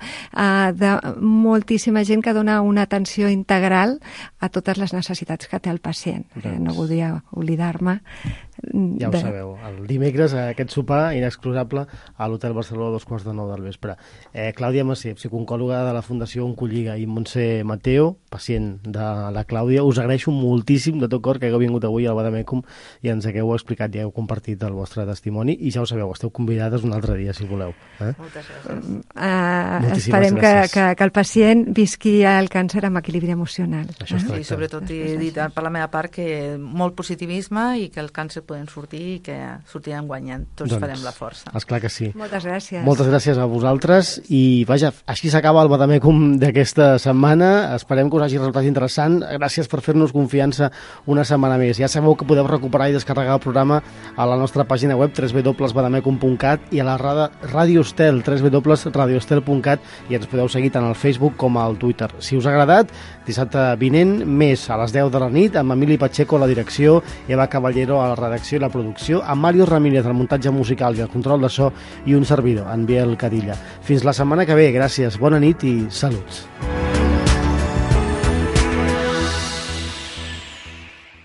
de moltíssima gent que dona una atenció integral a totes les necessitats que té el pacient. No voldria oblidar-me. Ja ho sabeu, el dimecres aquest sopar inexcusable a l'Hotel Barceló a 8:45 del vespre. Clàudia Massé, psicooncòloga de la Fundació Oncolliga, i Montse Mateo, pacient de la Clàudia, us agraeixo moltíssim de tot cor que hagueu vingut avui al Badamècum i ens hagueu explicat i hagueu compartit el vostre testimoni, i ja ho sabeu, esteu convidades un altre dia si voleu. Moltes gràcies. Esperem que el pacient visqui el càncer amb equilibri emocional. I sobretot he dit per la meva part que molt positivisme i que el càncer podem sortir i que sortirem guanyant. Tots farem la força. Esclar que sí. Moltes gràcies. Moltes gràcies a vosaltres i vaja, així s'acaba el Badamècum d'aquesta setmana. Esperem que us hagi resultat interessant. Gràcies per fer-nos confiança una setmana més. Ja sabeu que podeu recuperar i descarregar el programa a la nostra pàgina web www.badamecum.cat i a la Ràdio Estel www.radioestel.cat, i ens podeu seguir tant al Facebook com al Twitter. Si us ha agradat, dissabte vinent més a les 10 de la nit amb Emili Pacheco a la direcció, Eva Caballero a la redacció i la producció, amb Mario Ramírez al muntatge musical i el control de so, i un servidor, en Biel Cadilla. Fins la setmana que ve, gràcies, bona nit i saluts.